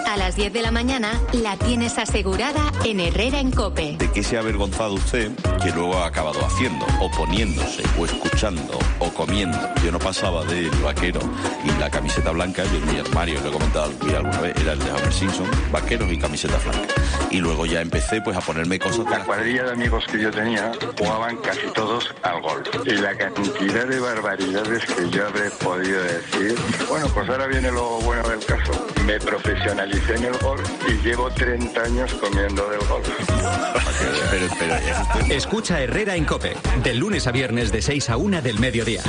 A las diez de la mañana la tienes asegurada en Herrera en COPE. ¿De qué se ha avergonzado usted que luego ha acabado haciendo, o poniéndose, o escuchando, o comiendo? Yo no pasaba del vaquero y la camiseta blanca, yo en mi armario, lo he comentado alguna vez, era el de Homer Simpson, vaqueros y camiseta blanca. Y luego ya empecé pues a ponerme cosas... La cuadrilla de amigos que yo tenía jugaban casi todos al golf. Y la cantidad de barbaridades que yo habré podido decir... Bueno, pues ahora viene lo bueno del caso. Me profesionalicé en el golf y llevo treinta años comiendo del golf. pero, pero, pero, Escucha Herrera en COPE, del lunes a viernes de seis a una del mediodía.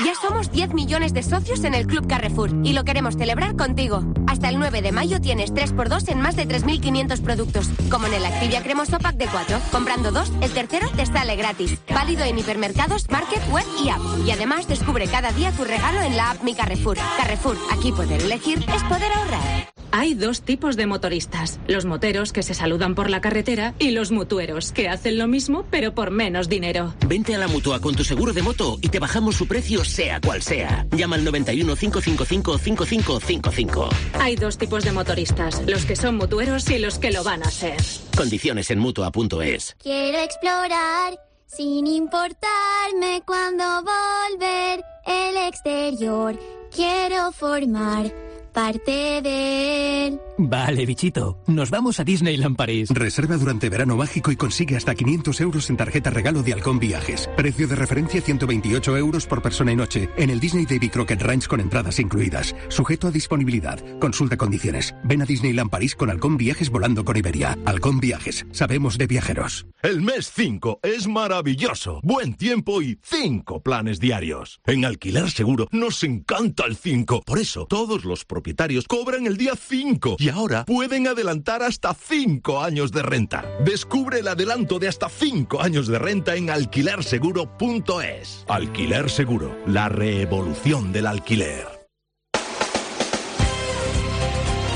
Ya somos diez millones de socios en el Club Carrefour y lo queremos celebrar contigo. Hasta el nueve de mayo tienes tres por dos en más de tres mil quinientos productos, como en el Activia Cremoso Pack de cuatro. Comprando dos, el tercero te sale gratis. Válido en hipermercados, market, web y app. Y además descubre cada día tu regalo en la app Mi Carrefour. Carrefour, aquí poder elegir es poder ahorrar. Hay dos tipos de motoristas, los moteros que se saludan por la carretera y los mutueros que hacen lo mismo pero por menos dinero. Vente a la Mutua con tu seguro de moto y te bajamos su precio sea cual sea. Llama al noventa y uno, cinco cinco cinco, cinco cinco cinco cinco. Hay dos tipos de motoristas, los que son mutueros y los que lo van a ser. Condiciones en Mutua punto es. Quiero explorar sin importarme cuándo volver el exterior. Quiero formar parte de él. Vale, bichito. Nos vamos a Disneyland París. Reserva durante verano mágico y consigue hasta quinientos euros en tarjeta regalo de Halcón Viajes. Precio de referencia ciento veintiocho euros por persona y noche en el Disney Davy Crockett Ranch con entradas incluidas. Sujeto a disponibilidad. Consulta condiciones. Ven a Disneyland París con Halcón Viajes volando con Iberia. Halcón Viajes. Sabemos de viajeros. El mes cinco es maravilloso. Buen tiempo y cinco planes diarios. En Alquiler Seguro nos encanta el cinco. Por eso, todos los propietarios cobran el día cinco. Y ahora pueden adelantar hasta cinco años de renta. Descubre el adelanto de hasta cinco años de renta en alquiler seguro punto es. Alquiler Seguro, la revolución del alquiler.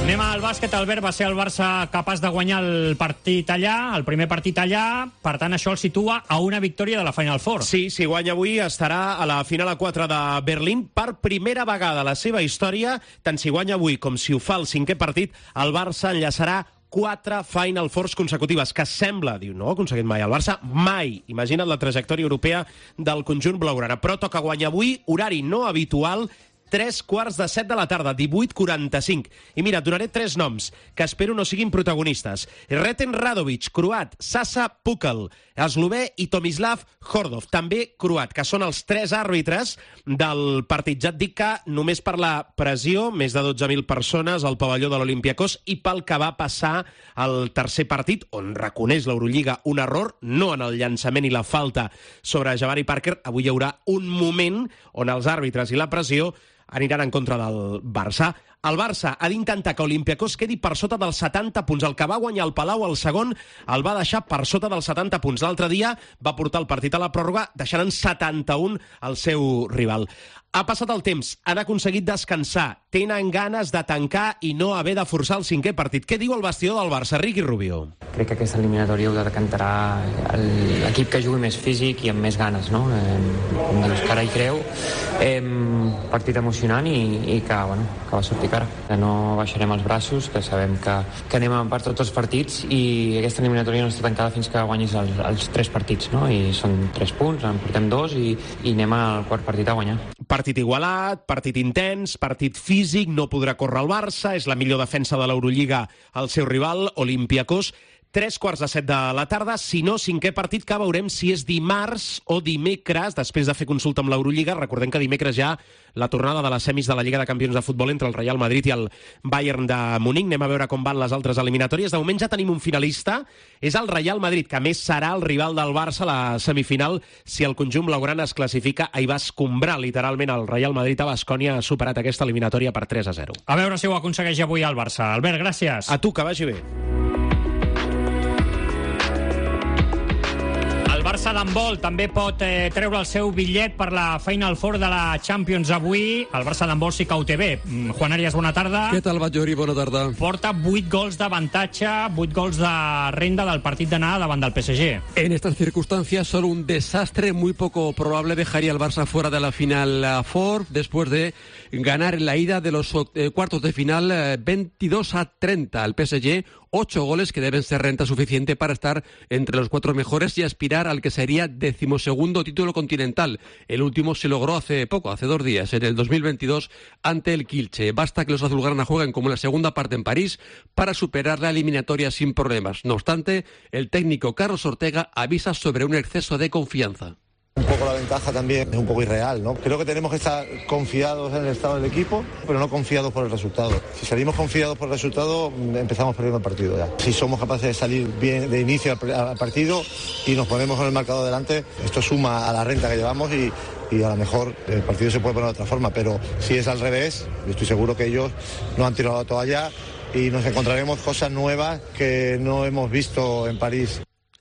Anem al bàsquet. Albert, va ser el Barça capaç de guanyar el partit allà, el primer partit allà, per tant això el situa a una victòria de la Final Four. Sí, si guanya avui estarà a la final a quatre de Berlín per primera vegada a la seva història. Tant si guanya avui com si ho fa el cinquè partit, el Barça enllaçarà quatre Final Fours consecutives, que sembla, diu, no ha aconseguit mai el Barça, mai. Imagina't la trajectòria europea del conjunt blaugrana. Però toca guanyar avui, horari no habitual, tres quarts de set de la tarda, divuit quaranta-cinc. I mira, et donaré tres noms, que espero no siguin protagonistes. Reten Radovic, croat, Sasa Pukel, eslové, i Tomislav Hordov, també croat, que són els tres àrbitres del partit. Ja et dic que només per la pressió, més de dotze mil persones al pavelló de l'Olympiacos, i pel que va passar al tercer partit, on reconeix l'Eurolliga un error, no en el llançament i la falta sobre Jabari Parker, avui hi haurà un moment on els àrbitres i la pressió aniran en contra del Barça. El Barça ha d'intentar que Olympiacos quedi per sota dels setanta punts. El que va guanyar el Palau al segon el va deixar per sota dels setanta punts. L'altre dia va portar el partit a la pròrroga deixant en setanta-un el seu rival. Ha passat el temps, han aconseguit descansar, tenen ganes de tancar i no haver de forçar el cinquè partit. Què diu el vestidor del Barça, Riqui Rubio? Crec que aquesta eliminatòria ho decantarà l'equip que jugui més físic i amb més ganes, no? Eh, com dius, que ara hi creu. Eh, partit emocionant i, i que, bueno, que va sortir cara. Que no baixarem els braços, que sabem que, que anem a part tots els partits i aquesta eliminatòria no està tancada fins que guanyis el, els tres partits, no? I són tres punts, en portem dos i, i anem al quart partit a guanyar. Partit igualat, partit intens, partit físic, no podrà córrer el Barça, és la millor defensa de l'Eurolliga al seu rival, Olympiacos. Tres quarts de set de la tarda, si no, cinquè partit que veurem si és dimarts o dimecres, després de fer consulta amb l'Eurolliga. Recordem que dimecres ja la tornada de les semis de la Lliga de Campions de Futbol entre el Real Madrid i el Bayern de Munic. Anem a veure com van les altres eliminatòries. De moment ja tenim un finalista, és el Real Madrid, que a més serà el rival del Barça a la semifinal si el conjunt blaugrana es classifica. Ahir va escombrar literalment el Real Madrid a Baskonia, ha superat aquesta eliminatòria per tres a zero. A veure si ho aconsegueix avui el Barça. Albert, gràcies. A tu, que vagi bé. El Barça d'handbol també pot eh, treure el seu bitllet per la Final Four de la Champions avui. El Barça d'handbol sí que ho té bé. Juan Arias, bona tarda. Què tal, Batllori? Bona tarda. Porta vuit gols d'avantatge, vuit gols de renda del partit d'anada davant del P S G. En estas circunstancias, solo un desastre muy poco probable dejaría al Barça fuera de la Final Four después de ganar en la ida de los eh, cuartos de final eh, veintidós a treinta al P S G. Ocho goles que deben ser renta suficiente para estar entre los cuatro mejores y aspirar al que sería decimosegundo título continental. El último se logró hace poco, hace dos días, en el dos mil veintidós, ante el Kielce. Basta que los azulgrana jueguen como en la segunda parte en París para superar la eliminatoria sin problemas. No obstante, el técnico Carlos Ortega avisa sobre un exceso de confianza. Un poco la ventaja también es un poco irreal, ¿no? Creo que tenemos que estar confiados en el estado del equipo, pero no confiados por el resultado. Si salimos confiados por el resultado, empezamos perdiendo el partido ya. Si somos capaces de salir bien de inicio al partido y nos ponemos con el marcador delante, esto suma a la renta que llevamos y, y a lo mejor el partido se puede poner de otra forma, pero si es al revés, yo estoy seguro que ellos no han tirado la toalla y nos encontraremos cosas nuevas que no hemos visto en París.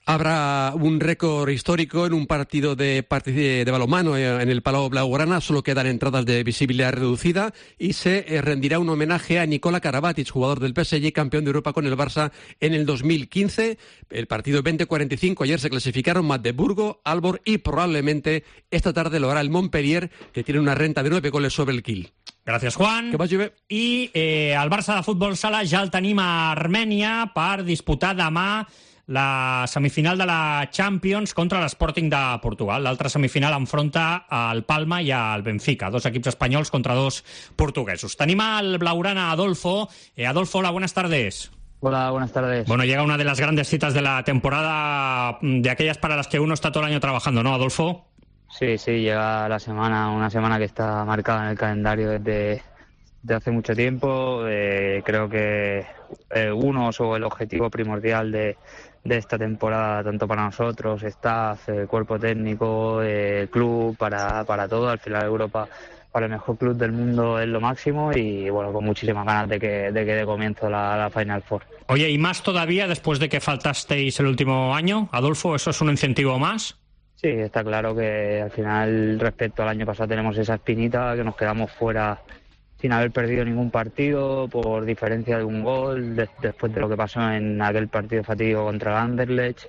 Habrá un récord histórico en un partido de, de, de balonmano en el Palau Blaugrana. Solo quedan entradas de visibilidad reducida y se eh, rendirá un homenaje a Nikola Karabatic, jugador del P S G, campeón de Europa con el Barça en el dos mil quince. El partido veinte cuarenta y cinco, ayer se clasificaron Magdeburgo, Aalborg y probablemente esta tarde lo hará el Montpellier, que tiene una renta de nueve goles sobre el Kiel. Gràcies, Juan. Que vagi bé. I eh, el Barça de futbol sala ja el tenim a Armènia per disputar demà la semifinal de la Champions contra l'Sporting de Portugal. L'altra semifinal enfronta al Palma i al Benfica, dos equips espanyols contra dos portuguesos. Tenim al blaugrana Adolfo. Eh, Adolfo, hola, buenas tardes. Hola, buenas tardes. Bueno, llega una de las grandes citas de la temporada, de aquellas para las que uno está todo el año trabajando, ¿no, Adolfo? Sí, sí, llega la semana, una semana que está marcada en el calendario desde, desde hace mucho tiempo. Eh, creo que eh, uno o el objetivo primordial de de esta temporada, tanto para nosotros, staff, eh, cuerpo técnico, eh, club, para, para todo. Al final Europa, para el mejor club del mundo, es lo máximo y bueno, con muchísimas ganas de que de que dé comienzo la, la Final Four. Oye, y más todavía después de que faltasteis el último año, Adolfo, ¿eso es un incentivo más? Sí, está claro que al final, respecto al año pasado, tenemos esa espinita, que nos quedamos fuera sin haber perdido ningún partido por diferencia de un gol de, después de lo que pasó en aquel partido fatídico contra el Anderlecht.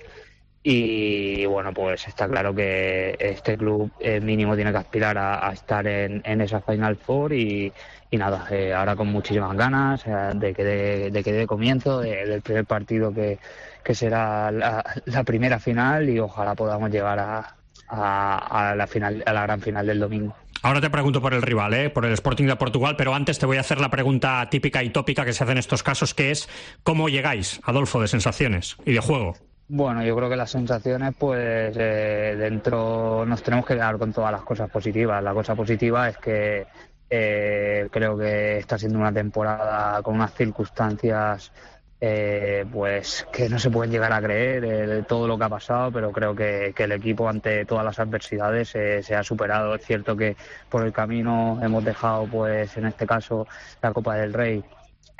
Y bueno, pues está claro que este club eh, mínimo tiene que aspirar a, a estar en, en esa Final Four y, y nada, eh, ahora con muchísimas ganas eh, de que dé de que dé comienzo de, del primer partido que, que será la, la primera final y ojalá podamos llegar a, a, a la final, a la gran final del domingo. Ahora te pregunto por el rival, ¿eh? por el Sporting de Portugal, pero antes te voy a hacer la pregunta típica y tópica que se hace en estos casos, que es ¿cómo llegáis, Adolfo, de sensaciones y de juego? Bueno, yo creo que las sensaciones, pues eh, dentro nos tenemos que quedar con todas las cosas positivas. La cosa positiva es que eh, creo que está siendo una temporada con unas circunstancias eh, pues que no se pueden llegar a creer eh, de todo lo que ha pasado, pero creo que, que el equipo ante todas las adversidades eh, se ha superado. Es cierto que por el camino hemos dejado, pues en este caso, la Copa del Rey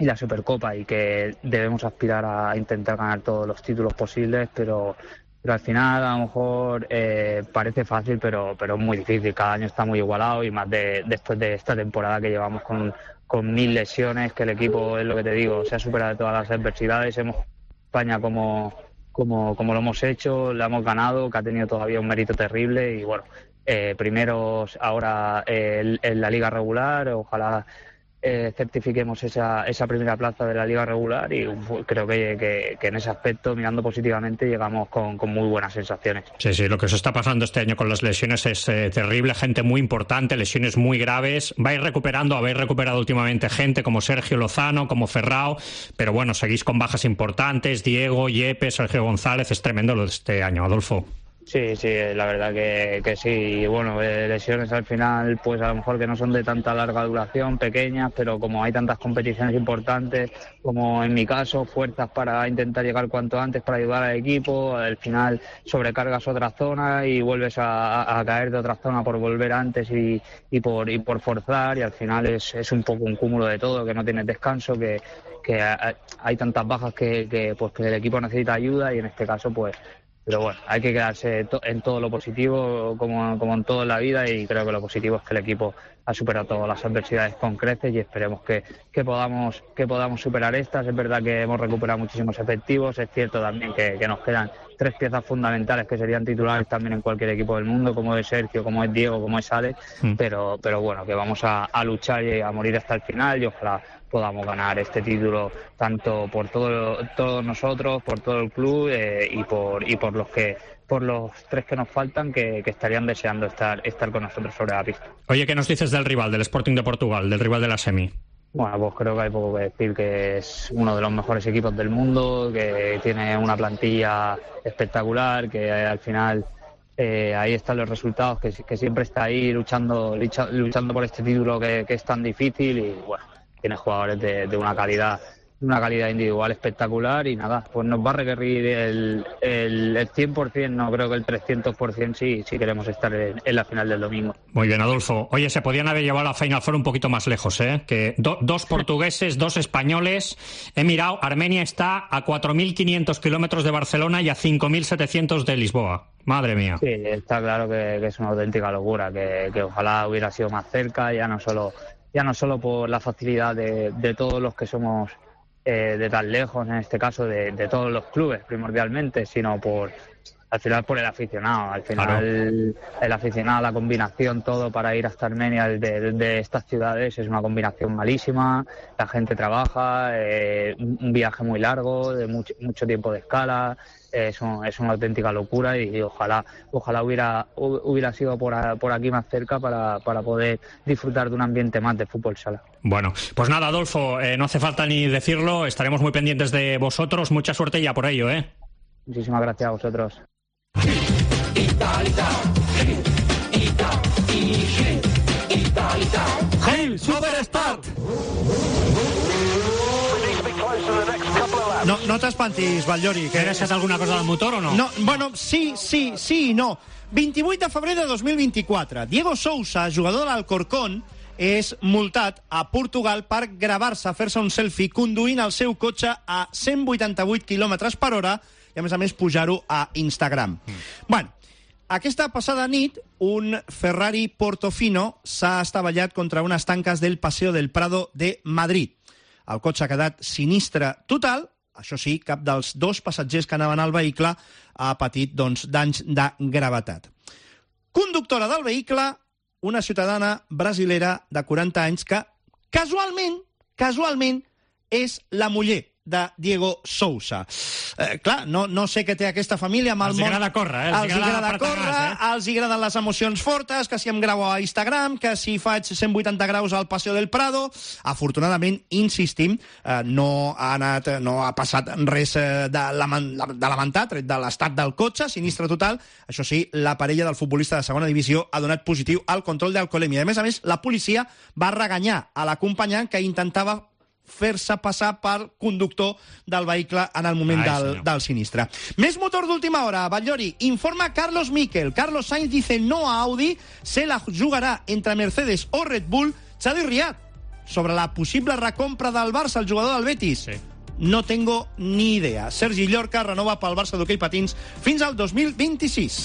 y la Supercopa y que debemos aspirar a intentar ganar todos los títulos posibles, pero, pero al final a lo mejor eh, parece fácil, pero, pero es muy difícil. Cada año está muy igualado y más de, después de esta temporada que llevamos con, con mil lesiones, que el equipo, es lo que te digo, se ha superado todas las adversidades. Hemos España como, como, como lo hemos hecho, la hemos ganado, que ha tenido todavía un mérito terrible y bueno, eh, primeros ahora eh, en la liga regular, ojalá Eh, certifiquemos esa, esa primera plaza de la liga regular y uh, creo que, que, que en ese aspecto, mirando positivamente, llegamos con, con muy buenas sensaciones. Sí, sí, lo que se está pasando este año con las lesiones es eh, terrible, gente muy importante, lesiones muy graves. Vais recuperando, habéis recuperado últimamente gente como Sergio Lozano, como Ferrao, pero bueno, seguís con bajas importantes, Diego, Yepes, Sergio González. Es tremendo lo de este año, Adolfo. Sí, sí, la verdad que, que sí. Bueno, eh, lesiones al final, pues a lo mejor que no son de tanta larga duración, pequeñas, pero como hay tantas competiciones importantes, como en mi caso, fuerzas para intentar llegar cuanto antes para ayudar al equipo, al final sobrecargas otra zona y vuelves a, a caer de otra zona por volver antes y, y, por, y por forzar, y al final es, es un poco un cúmulo de todo, que no tienes descanso, que, que hay tantas bajas que, que, pues, que el equipo necesita ayuda y en este caso, pues pero bueno, hay que quedarse to- en todo lo positivo, como, como en todo en la vida, y creo que lo positivo es que el equipo ha superado todas las adversidades con creces y esperemos que, que, podamos, que podamos superar estas. Es verdad que hemos recuperado muchísimos efectivos, es cierto también que, que nos quedan tres piezas fundamentales que serían titulares también en cualquier equipo del mundo, como es Sergio, como es Diego, como es Alex, mm. pero, pero bueno, que vamos a, a luchar y a morir hasta el final y ojalá podamos ganar este título tanto por todo, todos nosotros, por todo el club eh, y por y por los que por los tres que nos faltan que, que estarían deseando estar estar con nosotros sobre la pista. Oye, ¿qué nos dices del rival, del Sporting de Portugal, del rival de la semi? Bueno, pues creo que hay poco que decir, que es uno de los mejores equipos del mundo, que tiene una plantilla espectacular, que al final eh, ahí están los resultados, que, que siempre está ahí luchando luchando por este título que, que es tan difícil y bueno, tiene jugadores de, de una calidad de una calidad individual espectacular y nada, pues nos va a requerir el, el, el cien por ciento, no creo que el trescientos por ciento si, si queremos estar en, en la final del domingo. Muy bien, Adolfo. Oye, se podían haber llevado a la Final Four un poquito más lejos, ¿eh? Que do, dos portugueses, dos españoles. He mirado, Armenia está a cuatro mil quinientos kilómetros de Barcelona y a cinco mil setecientos de Lisboa. Madre mía. Sí, está claro que, que es una auténtica locura, que, que ojalá hubiera sido más cerca, ya no solo, ya no solo por la facilidad de, de todos los que somos Eh, de tan lejos, en este caso de, de todos los clubes primordialmente, sino por al final por el aficionado, al final claro. el, el aficionado, la combinación, todo para ir hasta Armenia de, de, de estas ciudades es una combinación malísima, la gente trabaja, eh, un, un viaje muy largo, de mucho, mucho tiempo de escala, eh, es, un, es una auténtica locura y, y ojalá ojalá hubiera hubiera sido por, a, por aquí más cerca para, para poder disfrutar de un ambiente más de fútbol sala. Bueno, pues nada, Adolfo, eh, no hace falta ni decirlo, estaremos muy pendientes de vosotros, mucha suerte ya por ello, ¿eh? Muchísimas gracias a vosotros. Hey, Superstar! No, no t'espantis, Batllori. Que... He deixat alguna cosa del motor o no? No, bueno, sí, sí, sí i no. vint-i-vuit de febrer de dos mil vint-i-quatre. Diego Sousa, jugador de l'Alcorcón, és multat a Portugal per gravar-se, fer-se un selfie conduint el seu cotxe a cent vuitanta-vuit quilòmetres per hora i, a més a més, pujar-ho a Instagram. Mm. Bueno, Aquesta passada nit, un Ferrari Portofino s'ha estavellat contra unes tanques del Paseo del Prado de Madrid. El cotxe ha quedat sinistre total. Això sí, cap dels dos passatgers que anaven al vehicle ha patit doncs, danys de gravetat. Conductora del vehicle, una ciutadana brasilera de quaranta anys que, casualment, casualment, és la muller de Diego Sousa. Eh, clar, no, no sé què té aquesta família amb el els món... Els agrada córrer, eh? Els, els agrada, agrada córrer, gas, eh? Els agraden les emocions fortes, que si em gravo a Instagram, que si faig cent vuitanta graus al Paseo del Prado. Afortunadament, insistim, eh, no ha anat, no ha passat res de, lament, de lamentar, tret de l'estat del cotxe, sinistre total. Això sí, la parella del futbolista de segona divisió ha donat positiu al control d'alcoholèmia. A més a més, la policia va reganyar a l'acompanyant que intentava fer-se passar per conductor del vehicle en el moment Ai, del, del sinistre. Més motor d'última hora. Batllori, informa Carlos Miquel. Carlos Sainz dice no a Audi, se la jugarà entre Mercedes o Red Bull. Xavi Riad, sobre la possible recompra del Barça, el jugador del Betis. Sí. No tengo ni idea. Sergi Llorca renova pel Barça d'hoquei patins fins al dos mil vint-i-sis.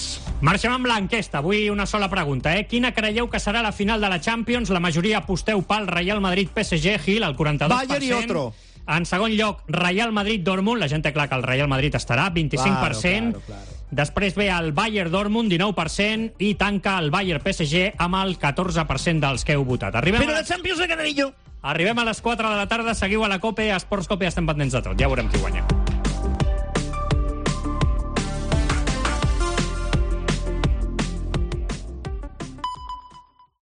Marxem amb l'enquesta. Avui una sola pregunta. Eh? Quina creieu que serà la final de la Champions? La majoria aposteu pel Real Madrid-P S G, Gil, el quaranta-dos per cent. Bayern i otro. En segon lloc, Real Madrid-Dortmund. La gent té clar que el Real Madrid estarà, vint-i-cinc per cent. Claro, claro, claro. Després ve el Bayern-Dortmund, dinou per cent, i tanca el Bayern-P S G amb el catorze per cent dels que heu votat. Arribem Però a... la Champions de Canadillo. Arribem a les quatre de la tarda, seguiu a la COPE, a Esports COPE, estem pendents de tot. Ja veurem qui guanya.